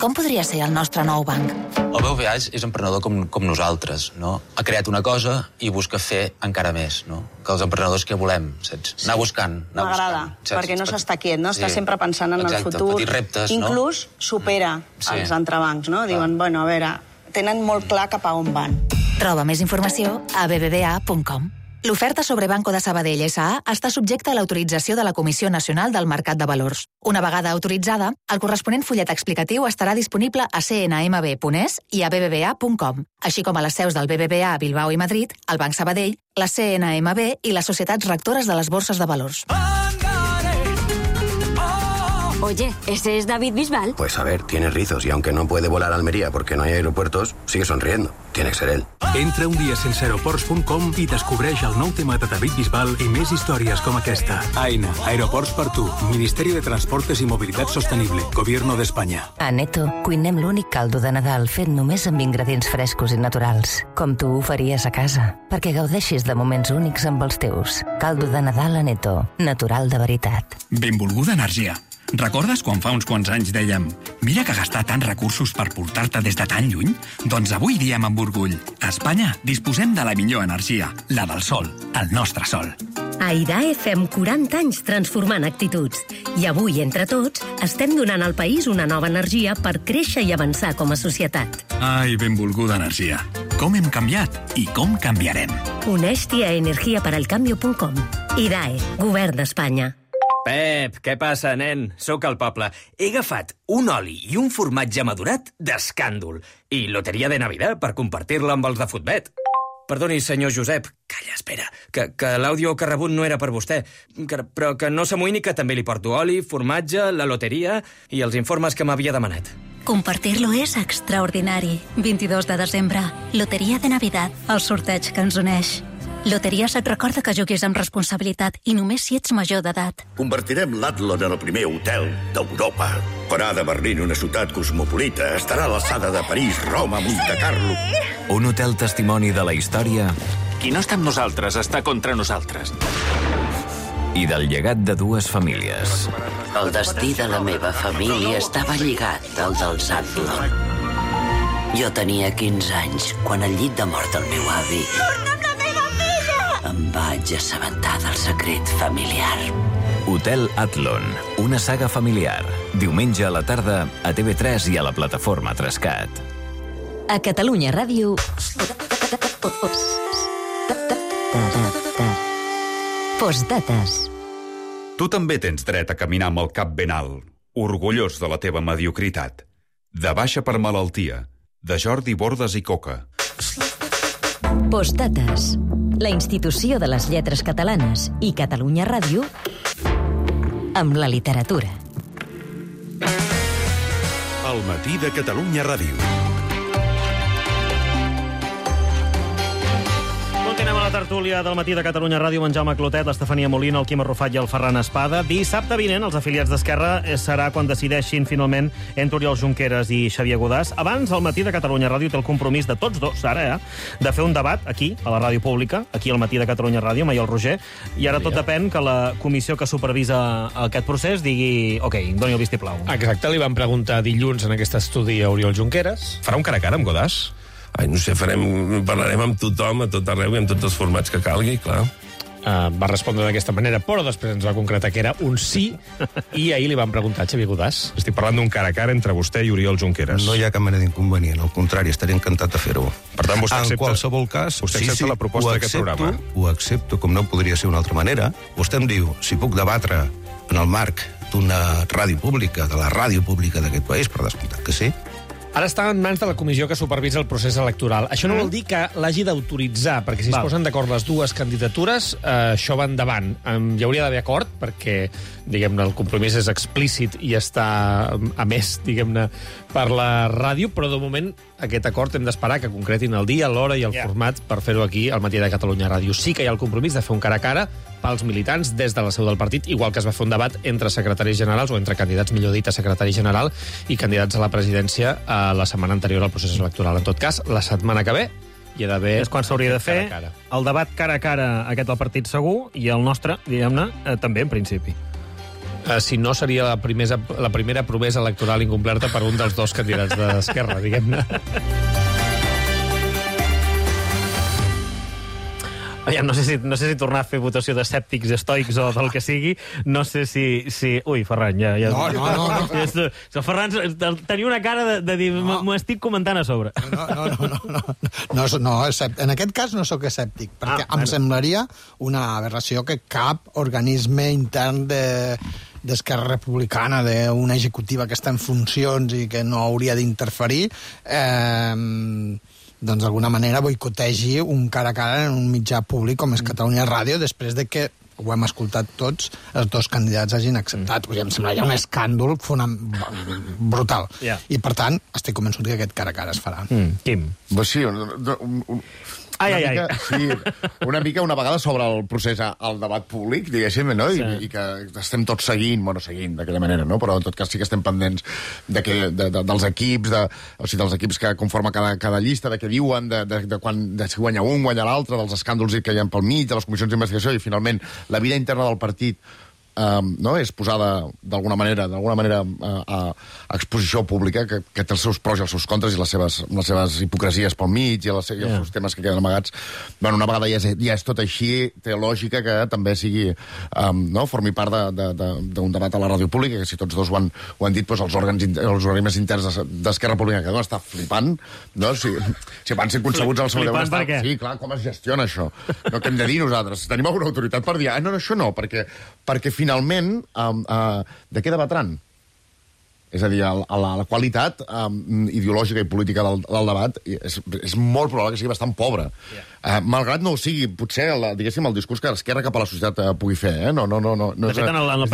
S4: Com podria ser el nostre nou banc?
S15: El BBVA és emprenedor com nosaltres, no? Ha creat una cosa i busca fer encara més, no? Que els emprenedors que volem, saps? Anar buscant,
S16: M'agrada, perquè no s'està quiet, no? Està sempre pensant en el futur.
S15: Petits reptes, no?
S16: Inclús supera els entrebancs, no? Diuen, bueno, a veure, tenen molt clar cap a on van.
S4: Troba més informació a bbva.com. L'oferta sobre Banco de Sabadell S.A. està subjecta a l'autorització de la Comissió Nacional del Mercat de Valors. Una vegada autoritzada, el corresponent fullet explicatiu estarà disponible a cnmb.es i a bbva.com, així com a les seus del BBVA a Bilbao i Madrid, el Banc Sabadell, la CNMB i les societats rectores de les borses de valors.
S17: Oye, ¿ese es David Bisbal?
S18: Pues a ver, tiene rizos y aunque no puede volar a Almería porque no hay aeropuertos, sigue sonriendo. Tiene que ser él.
S19: Entra un dia sense aeroports.com i descobreix el nou tema de David Bisbal i més històries com aquesta. AENA, Aeroports per tu, Ministeri de Transportes i Mobilitat Sostenible, Gobierno d'Espanya.
S20: A Neto cuinem l'únic caldo de Nadal fet només amb ingredients frescos i naturals, com tu ho faries a casa, perquè gaudeixis de moments únics amb els teus. Caldo de Nadal a Neto, natural de veritat.
S21: Benvolguda energia. Recordes quan fa uns quants anys dèiem mira que gastar tants recursos per portar-te des de tan lluny? Doncs avui diem amb orgull. A Espanya disposem de la millor energia, la del sol, el nostre sol.
S22: A IDAE fem 40 anys transformant actituds. I avui, entre tots, estem donant al país una nova energia per créixer i avançar com a societat.
S21: Ai, benvolguda energia. Com hem canviat i com canviarem.
S22: Uneix-t'hi a energiaperalcambio.com. IDAE, Govern d'Espanya.
S23: Pep, què passa, nen? Sóc al poble. He agafat un oli i un formatge madurat d'escàndol i loteria de Navidad per compartir-la amb els de Futbet. Perdoni, senyor Josep. Calla, espera, que l'àudio que ha rebut no era per vostè. Però que no s'amoïni que també li porto oli, formatge, la loteria i els informes que m'havia demanat.
S24: Compartir-lo és extraordinari. 22 de desembre, loteria de Navidad, el sorteig que ens uneix. Loteries et recorda que juguis amb responsabilitat i només si ets major d'edat.
S25: Convertirem l'Atlon en el primer hotel d'Europa. Farà de Berlín una ciutat cosmopolita. Estarà a l'alçada de París, Roma, Monte Carlo.
S26: Un hotel testimoni de la història. Qui no està amb nosaltres està contra nosaltres. I del llegat de dues famílies.
S27: El destí de la meva família estava lligat al dels Atlon. Jo tenia 15 anys quan al llit de mort del meu avi em vaig assabentar del secret familiar.
S26: Hotel Atlon, una saga familiar. Diumenge a la tarda a TV3 i a la plataforma Trescat.
S4: A Catalunya Ràdio... Postdates.
S28: Tu també tens dret a caminar amb el cap ben alt, orgullós de la teva mediocritat. De baixa per malaltia, de Jordi Bordes i Coca.
S4: Postdates. La institució de les lletres catalanes i Catalunya Ràdio amb la literatura.
S29: El matí de Catalunya Ràdio.
S2: Continuem a la tertúlia del matí de Catalunya Ràdio amb en Jaume Clotet, l'Estefania Molina, el Quim Arrufat i el Ferran Espada. Dissabte vinent, els afiliats d'Esquerra serà quan decideixin finalment entre Oriol Junqueras i Xavier Godàs. Abans, el matí de Catalunya Ràdio té el compromís de tots dos, ara, de fer un debat aquí, a la ràdio pública, aquí al matí de Catalunya Ràdio, amb el Roger, i ara tot depèn que la comissió que supervisa aquest procés digui, ok, doni el vistiplau.
S30: Exacte, li van preguntar dilluns en aquest estudi a Oriol Junqueras. Farà un cara a cara amb Godàs?
S31: Ai, no sé, parlarem amb tothom, a tot arreu i amb tots els formats que calgui, clar.
S30: Va respondre d'aquesta manera, però després ens va concretar que era un sí, i ahir li van preguntar a Xavier Godàs.
S31: Estic parlant d'un cara a cara entre vostè i Oriol Junqueras.
S32: No hi ha cap mena d'inconvenient, al contrari, estaré encantat de fer-ho.
S31: Per tant, vostè accepta...
S32: En qualsevol cas,
S31: vostè accepta la proposta d'aquest programa?
S32: Ho accepto, com no podria ser d'una altra manera. Vostè em diu, si puc debatre en el marc d'una ràdio pública, de la ràdio pública d'aquest país, per descomptat que sí.
S30: Ara està en mans de la comissió que supervisa el procés electoral. Això no vol dir que l'hagi d'autoritzar, perquè si es posen d'acord les dues candidatures, això va endavant. Hi hauria d'haver acord, perquè, diguem-ne, el compromís és explícit i està emès, diguem-ne, per la ràdio, però de moment aquest acord hem d'esperar que concretin el dia, l'hora i el format per fer-ho aquí al Matí de Catalunya Ràdio. Sí que hi ha el compromís de fer un cara a cara pels militants des de la seu del partit, igual que es va fer un debat entre secretaris generals, o entre candidats, millor dit, a secretari general i candidats a la presidència la setmana anterior al procés electoral. En tot cas, la setmana que ve hi ha d'haver...
S2: És quan s'hauria de fer el debat cara a cara aquest del partit segur i el nostre, diguem-ne, també, en principi.
S30: Si no, seria la primera promesa electoral incomplerta per un dels dos candidats d'Esquerra, diguem-ne.
S2: No sé si tornar a fer votació d'escèptics, estoics o del que sigui. No sé si... Ui, Ferran, ja... No. Ferran, tenia una cara de dir, m'ho estic comentant a sobre.
S1: No, en aquest cas no sóc escèptic, perquè em semblaria una aberració que cap organisme intern d'Esquerra Republicana, d'una executiva que està en funcions i que no hauria d'interferir, doncs d'alguna manera boicotegi un cara a cara en un mitjà públic com és Catalunya Ràdio, després de que, ho hem escoltat tots, els dos candidats hagin acceptat. Em sembla ja un escàndol brutal. I, per tant, estic convençut que aquest cara a cara es farà.
S2: Quim?
S3: Sí, una mica una vegada sobre el procés al debat públic, diguéssim, no? I que estem tots seguint d'aquella manera, no? Però en tot cas sí que estem pendents dels equips, dels equips que conformen cada llista, de què diuen, de si guanya un, guanya l'altre, dels escàndols que hi ha pel mig, de les comissions d'investigació, i finalment la vida interna del partit és posada d'alguna manera a exposició pública, que té els seus pros i els seus contres i les seves hipocresies pel mig i els seus temes que queden amagats. Una vegada ja és tot així, té lògica que també sigui formi part d'un debat a la ràdio pública, que si tots dos ho han dit, els organismes interns d'Esquerra Republicana, que deuen estar flipant, si van ser concebuts al seu deuen estar... Sí, clar, com es gestiona això? Què hem de dir nosaltres? Tenim alguna autoritat per dir, no, això no, perquè finalment, de què debatran? És a dir, la qualitat ideològica i política del debat és molt probable que sigui bastant pobra. Malgrat no ho sigui, potser, diguéssim, el discurs que l'esquerra cap a la societat pugui fer.
S2: De fet, en el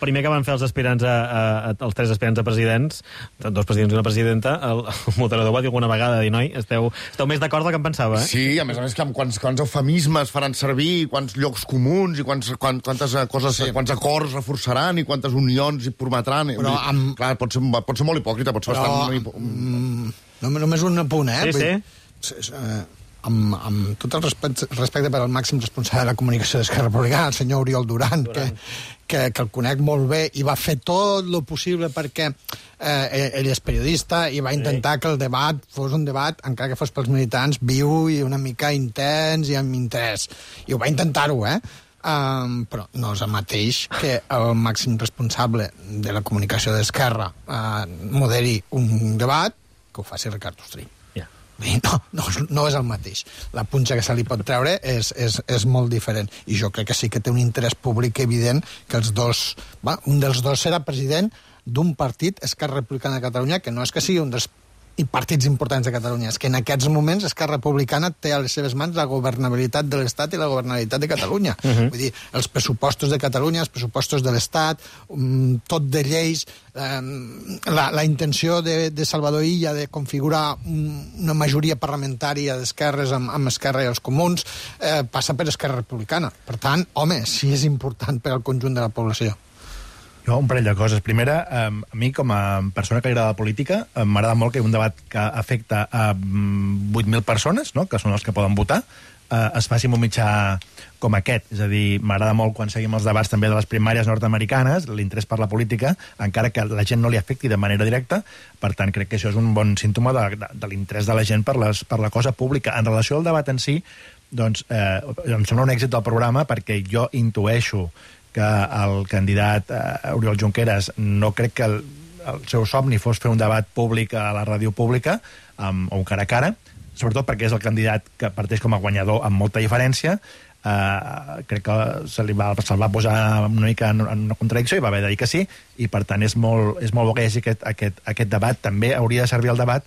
S2: primer que van fer els aspirants, els tres aspirants a presidents, dos presidents i una presidenta, el moderador va dir alguna vegada, noi, esteu més d'acord del que em pensava, eh?
S3: Sí, a més, quants eufemismes faran servir, quants llocs comuns, i quantes coses, quants acords reforçaran, i quantes unions hi prometran. Però clar, pot ser molt hipòcrita, pot ser bastant...
S1: Només un apunt,
S2: Sí.
S1: Amb tot el respecte per al màxim responsable de la comunicació d'Esquerra Republicana, el senyor Oriol Duran, que el conec molt bé i va fer tot el possible perquè ell és periodista i va intentar que el debat fos un debat, encara que fos pels militants, viu i una mica intens i amb interès. I ho va intentar-ho, però no és el mateix que el màxim responsable de la comunicació d'Esquerra moderi un debat que ho faci Ricard Ostrí. No és el mateix. La punxa que se li pot treure és molt diferent. I jo crec que sí que té un interès públic evident que un dels dos serà president d'un partit, Esquerra Republicana de Catalunya, que no és que sigui un dels partits importants de Catalunya, és que en aquests moments Esquerra Republicana té a les seves mans la governabilitat de l'Estat i la governabilitat de Catalunya. Vull dir, els pressupostos de Catalunya, els pressupostos de l'Estat, tot de lleis, la intenció de Salvador Illa de configurar una majoria parlamentària d'esquerres amb Esquerra i els comuns passa per Esquerra Republicana. Per tant, home, sí és important per al conjunt de la població.
S5: Jo, un parell de coses. Primera, a mi, com a persona que li agrada la política, m'agrada molt que un debat que afecta a 8.000 persones, que són els que poden votar, es faci en un mitjà com aquest. És a dir, m'agrada molt quan seguim els debats també de les primàries nord-americanes, l'interès per la política, encara que la gent no li afecti de manera directa. Per tant, crec que això és un bon símptoma de l'interès de la gent per la cosa pública. En relació al debat en si, doncs, em sembla un èxit del programa perquè jo intueixo que el candidat Oriol Junqueras no crec que el seu somni fos fer un debat públic a la ràdio pública o un cara a cara, sobretot perquè és el candidat que parteix com a guanyador amb molta diferència, crec que se'l va posar una mica en una contradicció i va haver de dir que sí, i per tant és molt bo que hi hagi aquest debat. També hauria de servir el debat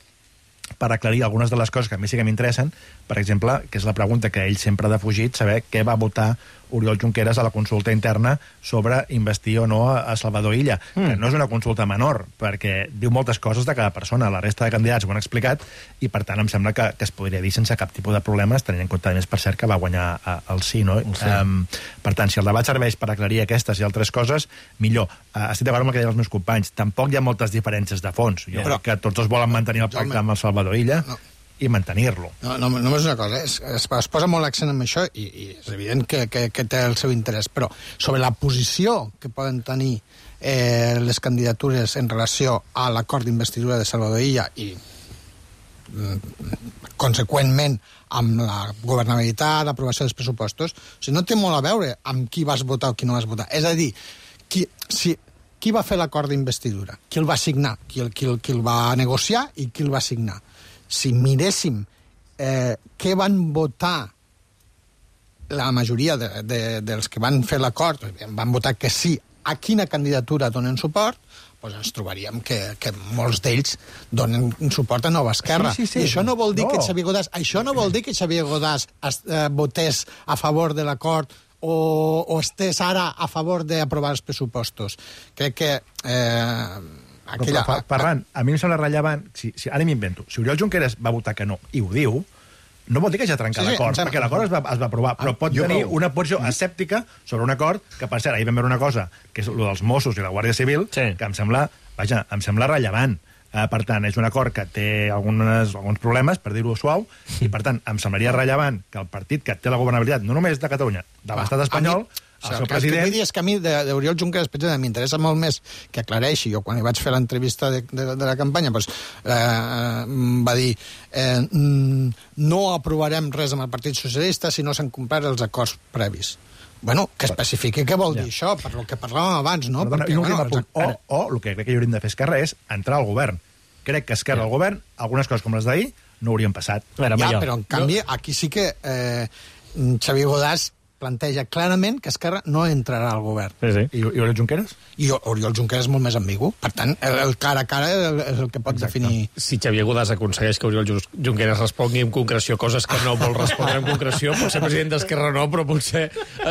S5: per aclarir algunes de les coses que a mi sí que m'interessen, per exemple, que és la pregunta que ell sempre ha defugit, saber què va votar Oriol Junqueras a la consulta interna sobre investir o no a Salvador Illa, que no és una consulta menor, perquè diu moltes coses de cada persona, la resta de candidats ho han explicat, i per tant em sembla que es podria dir sense cap tipus de problemes, tenint en compte, més per cert, que va guanyar el sí, no? Per tant, si el debat serveix per aclarir aquestes i altres coses, millor. Estic d'acord amb el que deien els meus companys, tampoc hi ha moltes diferències de fons. Jo crec que tots els volen mantenir el pacte amb el Salvador Illa, i mantenir-lo.
S1: No, només una cosa, es posa molt l'accent en això i és evident que té el seu interès, però sobre la posició que poden tenir les candidatures en relació a l'acord d'investidura de Salvador Illa i conseqüentment amb la governabilitat, l'aprovació dels pressupostos, o sigui, no té molt a veure amb qui vas votar o qui no vas votar. És a dir, qui va fer l'acord d'investidura? Qui el va signar? Qui el va negociar i qui el va signar? Si miréssim què van votar la majoria dels que van fer l'acord, van votar que sí a quina candidatura donen suport, doncs ens trobaríem que molts d'ells donen suport a Nova Esquerra.
S5: Sí.
S1: I això no vol dir que Xavier Godàs votés a favor de l'acord o estés ara a favor d'aprovar els pressupostos. Crec que...
S5: Ferran, a mi em sembla rellevant, ara m'invento, si Oriol Junqueras va votar que no i ho diu, no vol dir que ja trenca l'acord, perquè l'acord es va aprovar, però pot tenir una posició escèptica sobre un acord que, per cert, ahir vam veure una cosa, que és el dels Mossos i la Guàrdia Civil, que em sembla rellevant. Per tant, és un acord que té alguns problemes, per dir-ho suau, i per tant, em semblaria rellevant que el partit que té la governabilitat, no només de Catalunya, de l'estat espanyol, el seu president...
S1: El que vull dir és que a mi d'Oriol Junqueras m'interessa molt més que aclareixi. Jo, quan li vaig fer l'entrevista de la campanya, va dir no aprovarem res amb el Partit Socialista si no s'han complert els acords previs. Bueno, que especifiqui què vol dir això, per lo que parlàvem abans, no?
S5: O el que crec que hauríem de fer Esquerra és entrar al govern. Crec que Esquerra al govern, algunes coses com les d'ahir, no haurien passat.
S1: Però en canvi, aquí sí que Xavier Godàs planteja clarament que Esquerra no entrarà al govern.
S5: I Oriol Junqueras?
S1: I Oriol Junqueras és molt més ambigu. Per tant, el cara a cara és el que pot definir...
S30: Si Xavier Godàs aconsegueix que Oriol Junqueras respongui amb concreció coses que no vol respondre amb concreció, potser president d'Esquerra no, però potser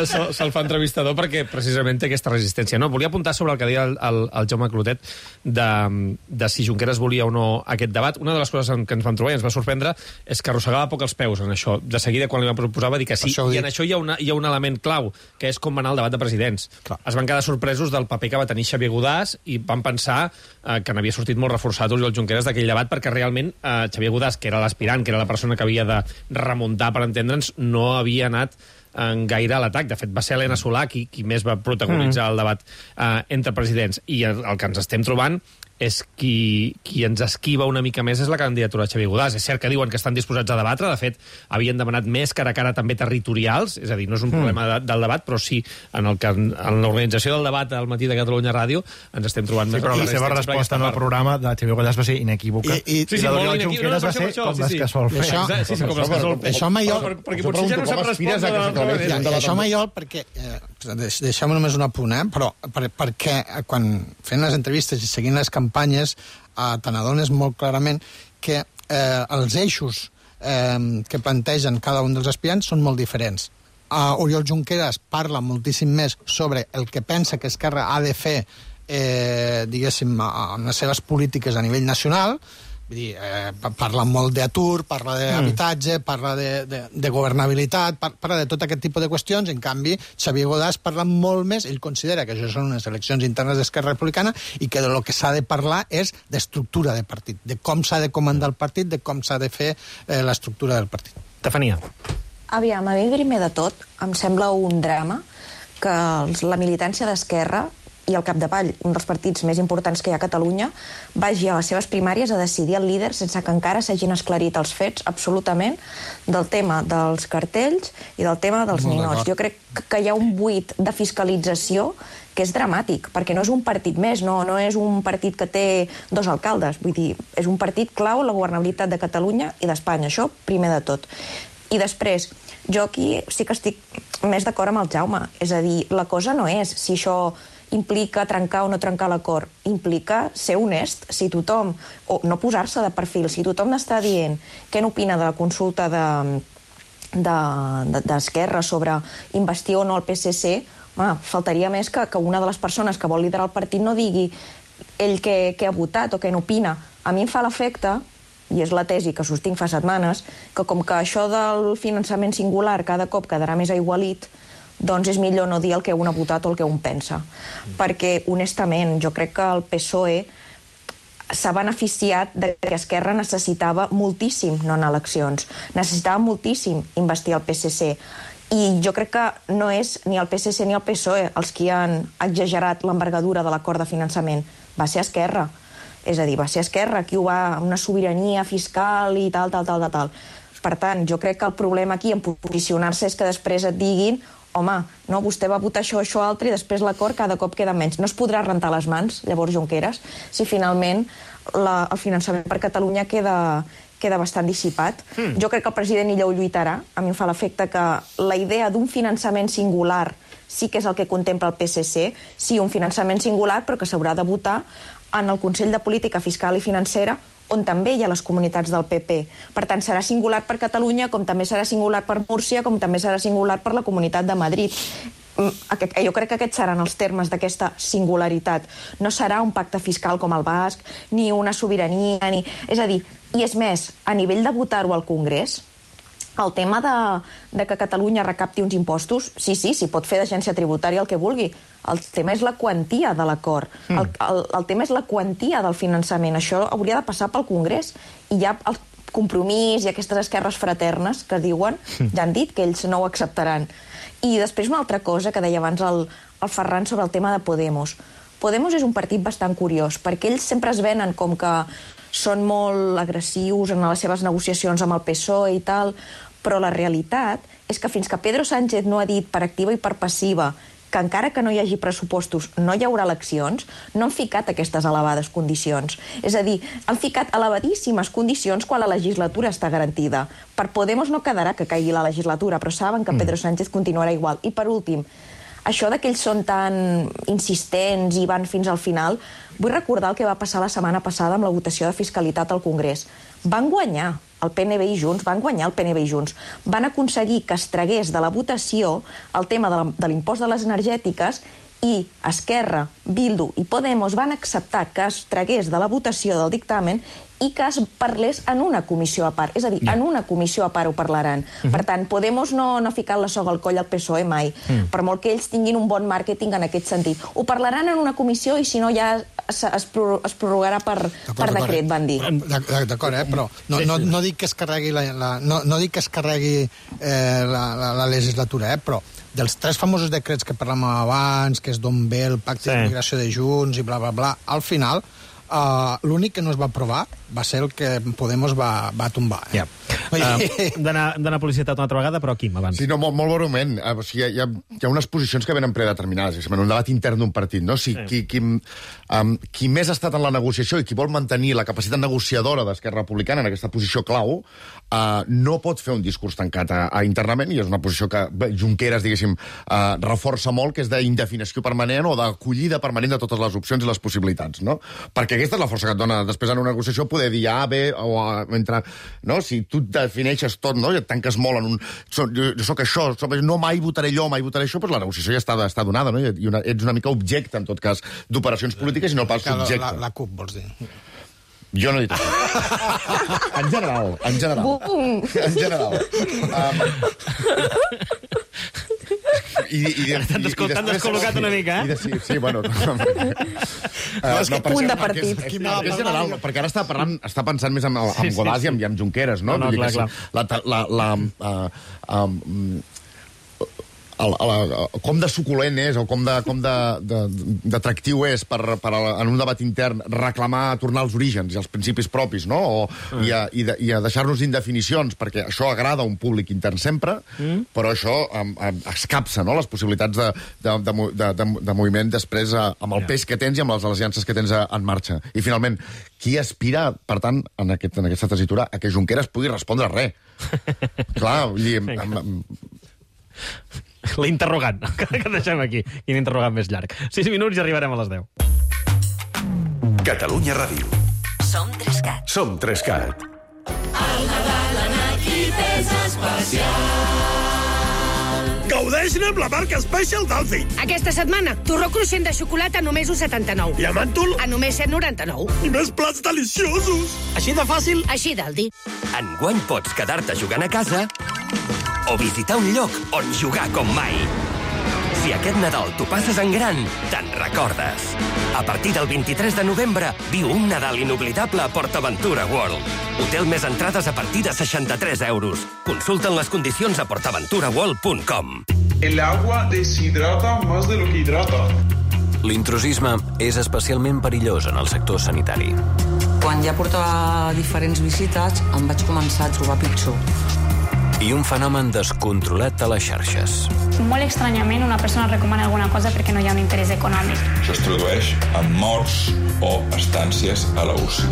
S30: se'l fa entrevistador perquè precisament té aquesta resistència. No, volia apuntar sobre el que deia el Jaume Clotet de si Junqueras volia o no aquest debat. Una de les coses que ens vam trobar i ens va sorprendre és que arrossegava poc els peus en això. De seguida, quan li van proposar, va dir que sí. I en això hi ha un element clau, que és com va anar el debat de presidents. Es van quedar sorpresos del paper que va tenir Xavier Godàs i van pensar que n'havia sortit molt reforçat Oriol Junqueras d'aquell debat, perquè realment Xavier Godàs, que era l'aspirant, que era la persona que havia de remuntar, per entendre'ns, no havia anat gaire a l'atac. De fet, va ser Helena Solà qui més va protagonitzar el debat entre presidents. I el que ens estem trobant és qui ens esquiva una mica més és la candidatura de Xavier Godàs. És cert que diuen que estan disposats a debatre, de fet, havien demanat més cara a cara també territorials, és a dir, no és un problema del debat, però sí en l'organització del debat al Matí de Catalunya Ràdio ens estem trobant més...
S5: Però la seva resposta en el programa de Xavier Godàs va ser inequívoca.
S30: I la d'Oriol Junqueras
S5: va ser com les que sol fer.
S1: Això Maiol...
S30: Perquè potser ja no sap respondre...
S1: Això Maiol, perquè... Deixem només un apunt, però perquè quan fent les entrevistes i seguint les campanyes te n'adones molt clarament que els eixos que plantegen cada un dels aspirants són molt diferents. Oriol Junqueras parla moltíssim més sobre el que pensa que Esquerra ha de fer diguéssim, amb les seves polítiques a nivell nacional. Vull dir, parla molt d'atur, parla d'habitatge, parla de governabilitat, parla de tot aquest tipus de qüestions. En canvi, Xavier Godàs parla molt més, ell considera que això són unes eleccions internes d'Esquerra Republicana i que de lo que s'ha de parlar és d'estructura de partit, de com s'ha de comandar el partit, de com s'ha de fer l'estructura del partit.
S30: Estefania.
S6: Aviam, a mi primer de tot em sembla un drama que la militància d'Esquerra i al capdavall, un dels partits més importants que hi ha a Catalunya, vagi a les seves primàries a decidir el líder sense que encara s'hagin esclarit els fets absolutament del tema dels cartells i del tema dels ninots. Jo crec que hi ha un buit de fiscalització que és dramàtic, perquè no és un partit més, no és un partit que té 2 alcaldes, vull dir, és un partit clau en la governabilitat de Catalunya i d'Espanya, això primer de tot. I després, jo aquí sí que estic més d'acord amb el Jaume. És a dir, la cosa no és si això implica trencar o no trencar l'acord. Implica ser honest. Si tothom, o no posar-se de perfil, si tothom està dient què n'opina de la consulta d'Esquerra sobre investir o no el PSC, faltaria més que una de les persones que vol liderar el partit no digui ell què ha votat o què n'opina. A mi em fa l'efecte, i és la tesi que sostinc fa setmanes, que com que això del finançament singular cada cop quedarà més aigualit, doncs és millor no dir el que un ha votat o el que un pensa. Perquè, honestament, jo crec que el PSOE s'ha beneficiat de que Esquerra necessitava moltíssim no anar a eleccions. Necessitava moltíssim investir el PSC. I jo crec que no és ni el PSC ni el PSOE els qui han exagerat l'envergadura de l'acord de finançament. Va ser Esquerra. És a dir, va ser Esquerra qui ho va, una sobirania fiscal i tal. Per tant, jo crec que el problema aquí en posicionar-se és que després et diguin home, no, vostè va votar això, altre, i després l'acord cada cop queda menys. No es podrà rentar les mans, llavors, Junqueras, si finalment el finançament per Catalunya queda bastant dissipat. Jo crec que el president Illa ho lluitarà. A mi em fa l'efecte que la idea d'un finançament singular sí que és el que contempla el PSC, sí, un finançament singular, però que s'haurà de votar en el Consell de Política Fiscal i Financera, on també hi ha les comunitats del PP. Per tant, serà singular per Catalunya, com també serà singular per Múrcia, com també serà singular per la Comunitat de Madrid. Jo crec que aquests seran els termes d'aquesta singularitat. No serà un pacte fiscal com el basc, ni una sobirania, ni... És a dir, i és més, a nivell de votar-ho al Congrés, el tema de que Catalunya recapti uns impostos, sí, s'hi pot fer d'agència tributària el que vulgui. El tema és la quantia de l'acord. El tema és la quantia del finançament. Això hauria de passar pel Congrés. I ja el compromís i aquestes esquerres fraternes que diuen, ja han dit que ells no ho acceptaran. I després una altra cosa que deia abans el Ferran sobre el tema de Podemos. Podemos és un partit bastant curiós, perquè ells sempre es venen com que són molt agressius en les seves negociacions amb el PSOE i tal, però la realitat és que fins que Pedro Sánchez no ha dit per activa i per passiva que encara que no hi hagi pressupostos no hi haurà eleccions, no han ficat aquestes elevades condicions. És a dir, han ficat elevadíssimes condicions quan la legislatura està garantida. Per Podemos no quedarà que caigui la legislatura, però saben que Pedro Sánchez continuarà igual. I per últim, això que ells són tan insistents i van fins al final, vull recordar el que va passar la setmana passada amb la votació de fiscalitat al Congrés. Van guanyar el PNB i Junts, van aconseguir que es tragués de la votació el tema de l'impost de les energètiques i Esquerra, Bildu i Podemos van acceptar que es tragués de la votació del dictamen i que es parlés en una comissió a part. És a dir, en una comissió a part ho parlaran. Per tant, Podemos no ha ficat la soga al coll al PSOE mai, per molt que ells tinguin un bon màrqueting en aquest sentit. Ho parlaran en una comissió i si no ja es prorrogarà per decret, van dir.
S1: D'acord, però no dic que es carregui la legislatura, però dels 3 famosos decrets que parlàvem abans, que és Don Bé, el pacte d'immigració de Junts i bla, bla, bla, al final l'únic que no es va aprovar va ser el que Podemos va tombar.
S2: D'anar a publicitat una altra vegada, però Quim, abans.
S3: Sí, no, molt breument. O sigui, hi ha unes posicions que venen predeterminades, és un debat intern d'un partit, no? Si qui més ha estat en la negociació i qui vol mantenir la capacitat negociadora d'Esquerra Republicana en aquesta posició clau, no pot fer un discurs tancat internament, i és una posició que Junqueras, diguéssim, reforça molt, que és d'indefinició permanent o d'acollida permanent de totes les opcions i les possibilitats, no? Perquè aquesta és la força que et dona després en una negociació poder dir A, B, o entre... No? Si tu defineixes tot, no? I et tanques molt en un... Jo soc això, no mai votaré allò, mai votaré això, però la negociació ja està donada, no? I ets una mica objecte, en tot cas, d'operacions polítiques i no pas subjecte.
S1: La CUP, vols dir?
S3: Jo no he dit això. En general. En general.
S2: T'han descol·locat una mica, eh?
S3: Sí, bueno...
S6: És que punt de partit.
S3: És general, perquè ara està pensant més en Godàs i amb Junqueras, no?
S2: No, clar.
S3: com de suculent és o com d'atractiu és per en un debat intern reclamar tornar als orígens i als principis propis, no? I a deixar-nos indefinicions, perquè això agrada a un públic intern sempre, però això escapça, no?, les possibilitats de moviment després amb el pes que tens i amb les aliances que tens en marxa. I finalment, qui aspira, per tant, en aquesta tessitura, a que Junqueras pugui respondre res? Clar, vull dir...
S2: L'interrogant, que deixem aquí. Quin interrogant més llarg. 6 minuts i arribarem a les 10.
S29: Catalunya Ràdio.
S24: Som 3CAT.
S29: Som 3CAT.
S7: El Nadal en equip és especial.
S8: Gaudeixin amb la marca Special d'Aldi.
S9: Aquesta setmana, torró cruixent de xocolata a només 1,79.
S8: I a màntol?
S9: A només 7,99.
S8: I més plats deliciosos. Així de fàcil?
S9: Així d'Aldi.
S10: Enguany pots quedar-te jugant a casa o visitar un lloc on jugar com mai. Si aquest Nadal t'ho passes en gran, te'n recordes. A partir del 23 de novembre, viu un Nadal inoblidable a PortAventura World. Hotel més entrades a partir de 63 euros. Consulten les condicions a portaventuraworld.com.
S11: El agua deshidrata más de lo que hidrata.
S26: L'intrusisme és especialment perillós en el sector sanitari.
S12: Quan ja portava diferents visites, em vaig començar a trobar pitjor.
S26: I un fenomen descontrolat a les xarxes.
S13: Molt estranyament, una persona recomana alguna cosa perquè no hi ha un interès econòmic.
S11: Això es tradueix en morts o estàncies a la UCI.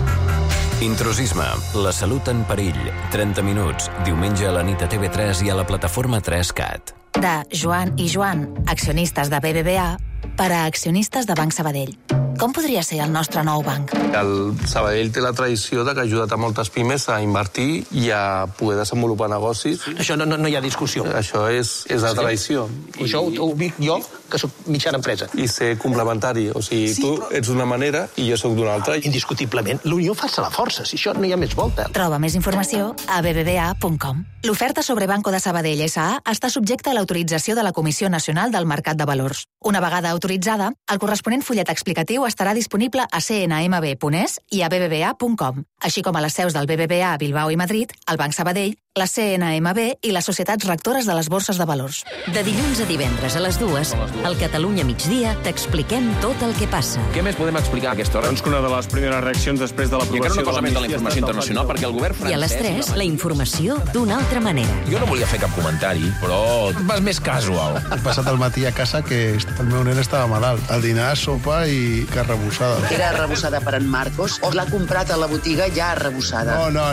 S26: Intrusisme, la salut en perill. 30 minuts, diumenge a la nit a TV3 i a la plataforma 3CAT.
S4: De Joan i Joan, accionistes de BBVA, per a accionistes de Banc Sabadell. Com podria ser el nostre nou banc?
S14: El Sabadell té la tradició de que ha ajudat a moltes pimes a invertir i a poder desenvolupar negocis.
S15: Això no hi ha discussió.
S14: Això és la tradició.
S15: Això ho dic jo, que soc mitjana empresa.
S14: I ser complementari. O sigui, tu ets d'una manera i jo sóc d'una altra.
S15: Indiscutiblement, l'unió fa la força, si això no hi ha més volta.
S4: Troba més informació a bbva.com. L'oferta sobre Banco de Sabadell S.A. està subjecta a l'autorització de la Comissió Nacional del Mercat de Valors. Una vegada autoritzada, el corresponent fullet explicatiu estarà disponible a cnmb.es i a bbva.com, així com a les seus del BBVA a Bilbao i Madrid, el Banc Sabadell, la CNMB i les societats rectores de les borses de valors.
S22: De dilluns a divendres a les 2, al Catalunya Migdia, t'expliquem tot el que passa.
S16: Què més podem explicar a aquesta hora?
S15: Doncs que una de les primeres reaccions després de l'aprovació...
S16: I encara una cosa més de la informació internacional, perquè el govern francès...
S22: I a les 3, la informació d'una altra manera.
S16: Jo no volia fer cap comentari, però vas més casual.
S17: He passat el matí a casa que el meu nen estava malalt. Al dinar, sopa i carn arrebossada.
S18: Era arrebossada per en Marcos o l'ha comprat a la botiga ja arrebossada?
S17: No.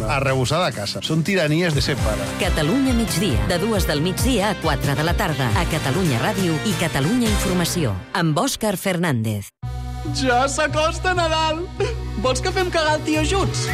S17: Arrebossada a casa. Són tiranies de ser pare.
S22: Catalunya Migdia, de 2 del migdia a 4 de la tarda, a Catalunya Ràdio i Catalunya Informació, amb Òscar Fernández.
S33: Ja s'acosta Nadal! Vols que fem cagar el tio junts?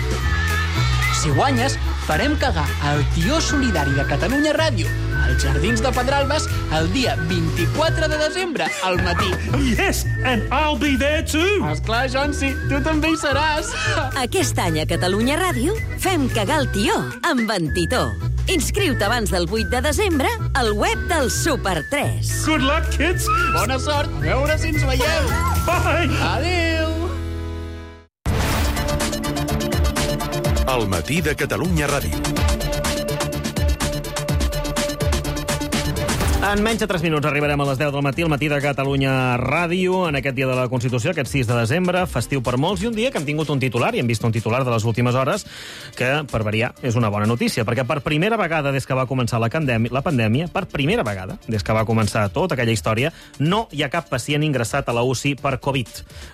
S33: Si guanyes, farem cagar el tio solidari de Catalunya Ràdio als Jardins de Pedralbes el dia 24 de desembre, al matí.
S15: Yes, and I'll be there too!
S33: Esclar, Jonsi, tu també hi seràs.
S22: Aquest any a Catalunya Ràdio fem cagar el tió amb en Titó. Inscriu-te abans del 8 de desembre al web del Super 3.
S15: Good luck, kids!
S33: Bona sort! A veure si ens veiem!
S15: Bye!
S33: Adéu!
S29: El matí de Catalunya Ràdio.
S2: En menys de 3 minuts arribarem a les 10 del matí, al matí de Catalunya Ràdio, en aquest dia de la Constitució, aquest 6 de desembre, festiu per molts, i un dia que hem tingut un titular, i hem vist un titular de les últimes hores, que, per variar, és una bona notícia, perquè per primera vegada des que va començar la pandèmia, per primera vegada, des que va començar tota aquella història, no hi ha cap pacient ingressat a la UCI per Covid.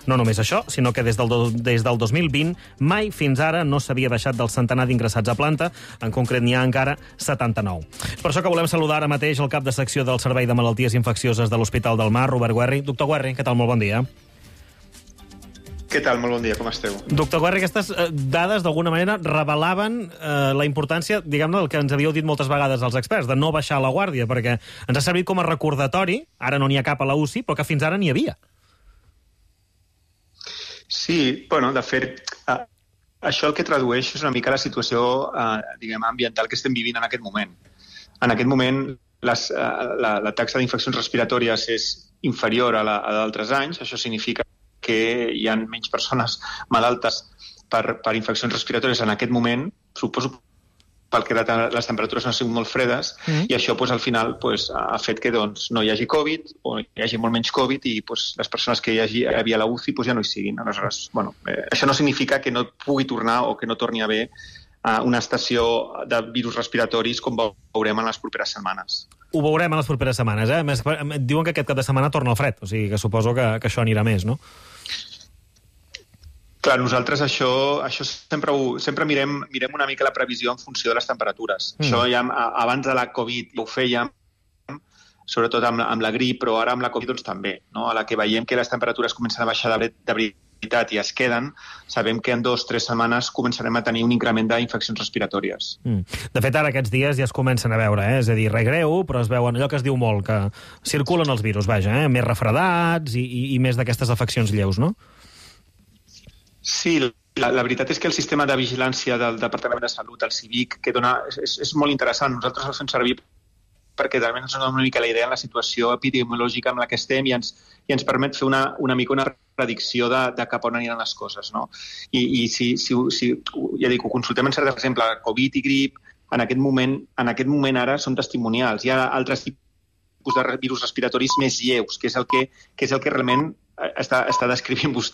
S2: No només això, sinó que des del 2020 mai fins ara no s'havia baixat del centenar d'ingressats a planta, en concret n'hi ha encara 79. Per això que volem saludar ara mateix el cap de secció del Servei de Malalties Infeccioses de l'Hospital del Mar, Robert Guerri. Doctor Guerri, què tal? Molt bon dia.
S34: Què tal? Molt bon dia, com esteu?
S2: Doctor Guerri, aquestes dades d'alguna manera revelaven la importància, diguem-ne, del que ens havíeu dit moltes vegades els experts, de no baixar la guàrdia, perquè ens ha servit com a recordatori, ara no n'hi ha cap a la UCI, però que fins ara n'hi havia.
S34: Sí, bueno, de fet, això el que tradueix és una mica la situació, diguem, ambiental que estem vivint en aquest moment. En aquest moment, la taxa d'infeccions respiratòries és inferior a d'altres anys. Això significa que hi ha menys persones malaltes per infeccions respiratòries en aquest moment, suposo pel que les temperatures no han sigut molt fredes, i això al final ha fet que no hi hagi Covid, o hi hagi molt menys Covid, i les persones que hi havia a la UCI ja no hi siguin. Aleshores, això no significa que no pugui tornar o que no torni a haver una estació de virus respiratoris com veurem en les properes setmanes.
S2: Ho veurem en les properes setmanes, eh? Més, diuen que aquest cap de setmana torna el fred, o sigui que suposo que això anirà més, no?
S34: Clar, nosaltres això sempre mirem una mica la previsió en funció de les temperatures. Això ja abans de la Covid ho fèiem, sobretot amb la grip, però ara amb la Covid també. A la que veiem que les temperatures comencen a baixar de veritat i es queden, sabem que en 2 o 3 setmanes començarem a tenir un increment d'infeccions respiratòries.
S2: De fet, ara aquests dies ja es comencen a veure, és a dir, res greu, però es veuen allò que es diu molt, que circulen els virus, més refredats i més d'aquestes afeccions lleus, no?
S34: Sí, la veritat és que el sistema de vigilància del Departament de Salut, el CIVIC, que és molt interessant. Nosaltres el fem servir perquè també ens dona una mica la idea en la situació epidemiològica en la que estem i ens permet fer una mica una predicció de cap on aniran les coses, no? I si ja dic, ho consultem en cert exemple, Covid i grip, en aquest moment ara són testimonials. Hi ha altres tipus de virus respiratoris més lleus, que és el que realment està descrivint vostè.